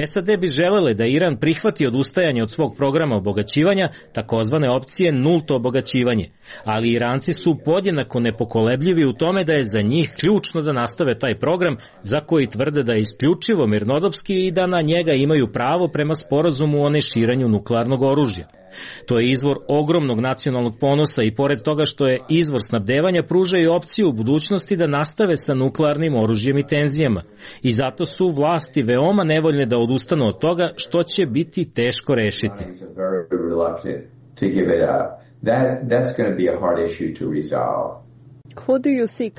SAD bi želele da Iran prihvati odustajanje od svog programa obogaćivanja, takozvane opcije nulto obogaćivanje, ali Iranci su podjednako nepokolebljivi u tome da je za njih ključno da nastave taj program za koji tvrde da je isključivo mirnodopski i da na njega imaju pravo prema sporazumu o neširanju nuklearnog oružja. To je izvor ogromnog nacionalnog ponosa i pored toga što je izvor snabdevanja pruža i opciju u budućnosti da nastave sa nuklearnim oružjem i tenzijama. I zato su vlasti veoma nevoljne da odustanu od toga što će biti teško rešiti.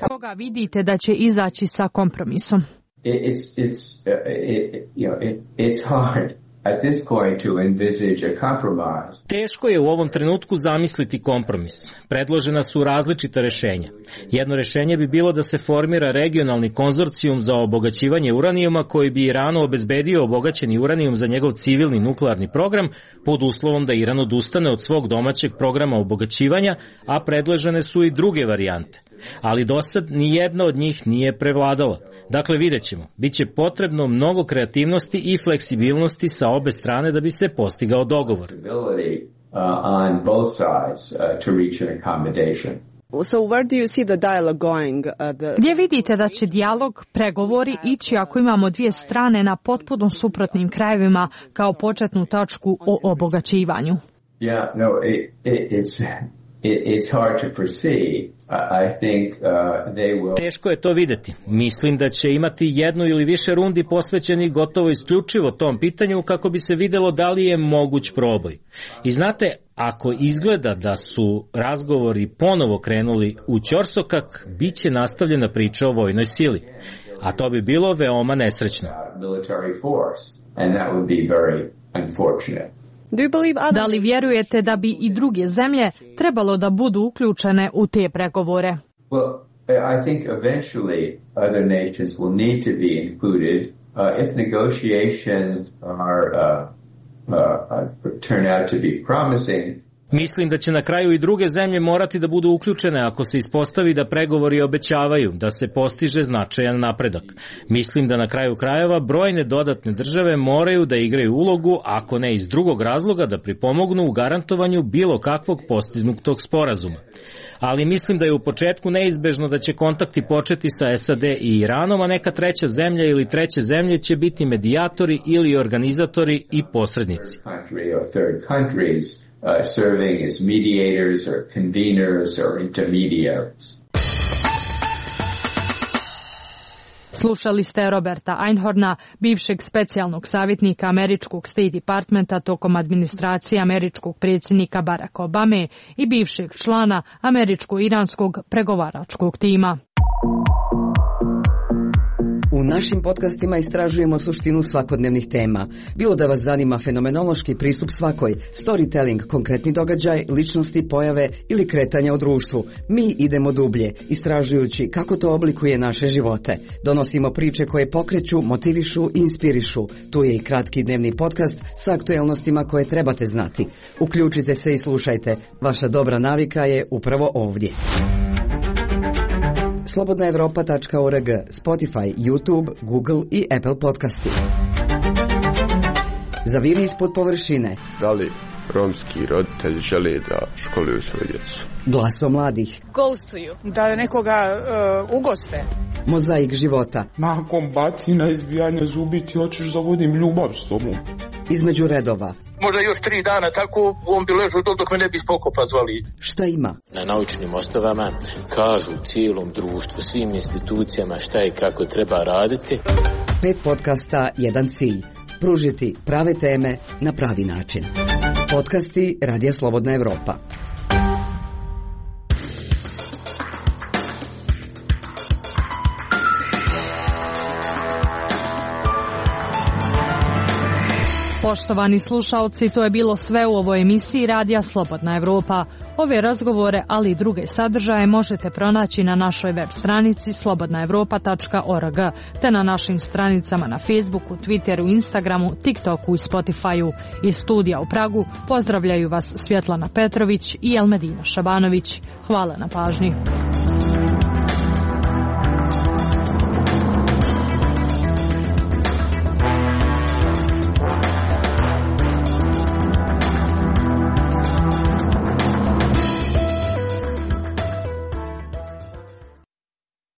Koga vidite da će izaći sa kompromisom? It's hard. At this point to envisage a compromise. Teško je u ovom trenutku zamisliti kompromis. Predložena su različita rešenja. Jedno rešenje bi bilo da se formira regionalni konzorcijum za obogaćivanje uranijuma koji bi Iranu obezbedio obogaćeni uranijum za njegov civilni nuklearni program pod uslovom da Iran odustane od svog domaćeg programa obogaćivanja, a predložene su i druge varijante. Ali do sad ni jedna od njih nije prevladala. Dakle, vidjet ćemo. Biće potrebno mnogo kreativnosti i fleksibilnosti sa obe strane da bi se postigao dogovor. So where do you see the dialogue going? Gdje vidite da će dijalog, pregovori ići ako imamo dvije strane na potpuno suprotnim krajevima kao početnu tačku o obogaćivanju? It's hard to foresee. I think they will. Teško je to videti. Mislim da će imati jednu ili više rundi posvećeni gotovo isključivo tom pitanju kako bi se videlo da li je moguć proboj. I znate, ako izgleda da su razgovori ponovo krenuli u ćorsokak, bit će nastavljena priča o vojnoj sili. A to bi bilo veoma nesrećno. Da li vjerujete da bi i druge zemlje trebalo da budu uključene u te pregovore? Well, I think eventually other nations will need to be included if negotiations turn out to be promising. Mislim da će na kraju i druge zemlje morati da budu uključene ako se ispostavi da pregovori obećavaju, da se postiže značajan napredak. Mislim da na kraju krajeva brojne dodatne države moraju da igraju ulogu, ako ne iz drugog razloga, da pripomognu u garantovanju bilo kakvog postignutog sporazuma. Ali mislim da je u početku neizbežno da će kontakti početi sa SAD i Iranom, a neka treća zemlja ili treće zemlje će biti medijatori ili organizatori i posrednici. Serving as mediators or conveners or intermediaries. Slušali ste Roberta Einhorna, bivšeg specijalnog savjetnika američkog State Departmenta tokom administracije američkog predsjednika Baracka Obame i bivšeg člana američko-iranskog pregovaračkog tima. U našim podcastima istražujemo suštinu svakodnevnih tema. Bilo da vas zanima fenomenološki pristup svakoj, storytelling, konkretni događaj, ličnosti, pojave ili kretanja u društvu. Mi idemo dublje, istražujući kako to oblikuje naše živote. Donosimo priče koje pokreću, motivišu i inspirišu. Tu je i kratki dnevni podcast sa aktuelnostima koje trebate znati. Uključite se i slušajte. Vaša dobra navika je upravo ovdje. slobodnaevropa.org, Spotify, YouTube, Google i Apple podcasti. Zaviri ispod površine. Da li romski roditelji žele da školuju svoju djecu? Glaso mladih. Ghostuju. Da nekoga ugoste. Mozaik života. Nakon bacina, izbijanja zubi ti hoćeš da vodim ljubav s tobom. Između redova. Možda još 3 dana tako on bi ležao dok me ne bi spokopa zvali. Šta ima? Na naučnim osnovama kažu cijelom društvu, svim institucijama šta i kako treba raditi. 5 podcasta, jedan cilj. Pružiti prave teme na pravi način. Podcasti Radija Slobodna Evropa. Poštovani slušaoci, to je bilo sve u ovoj emisiji Radija Slobodna Evropa. Ove razgovore, ali i druge sadržaje možete pronaći na našoj web stranici slobodnaevropa.org te na našim stranicama na Facebooku, Twitteru, Instagramu, TikToku i Spotifyu. Iz studija u Pragu pozdravljaju vas Svjetlana Petrović i Elmedina Šabanović. Hvala na pažnji.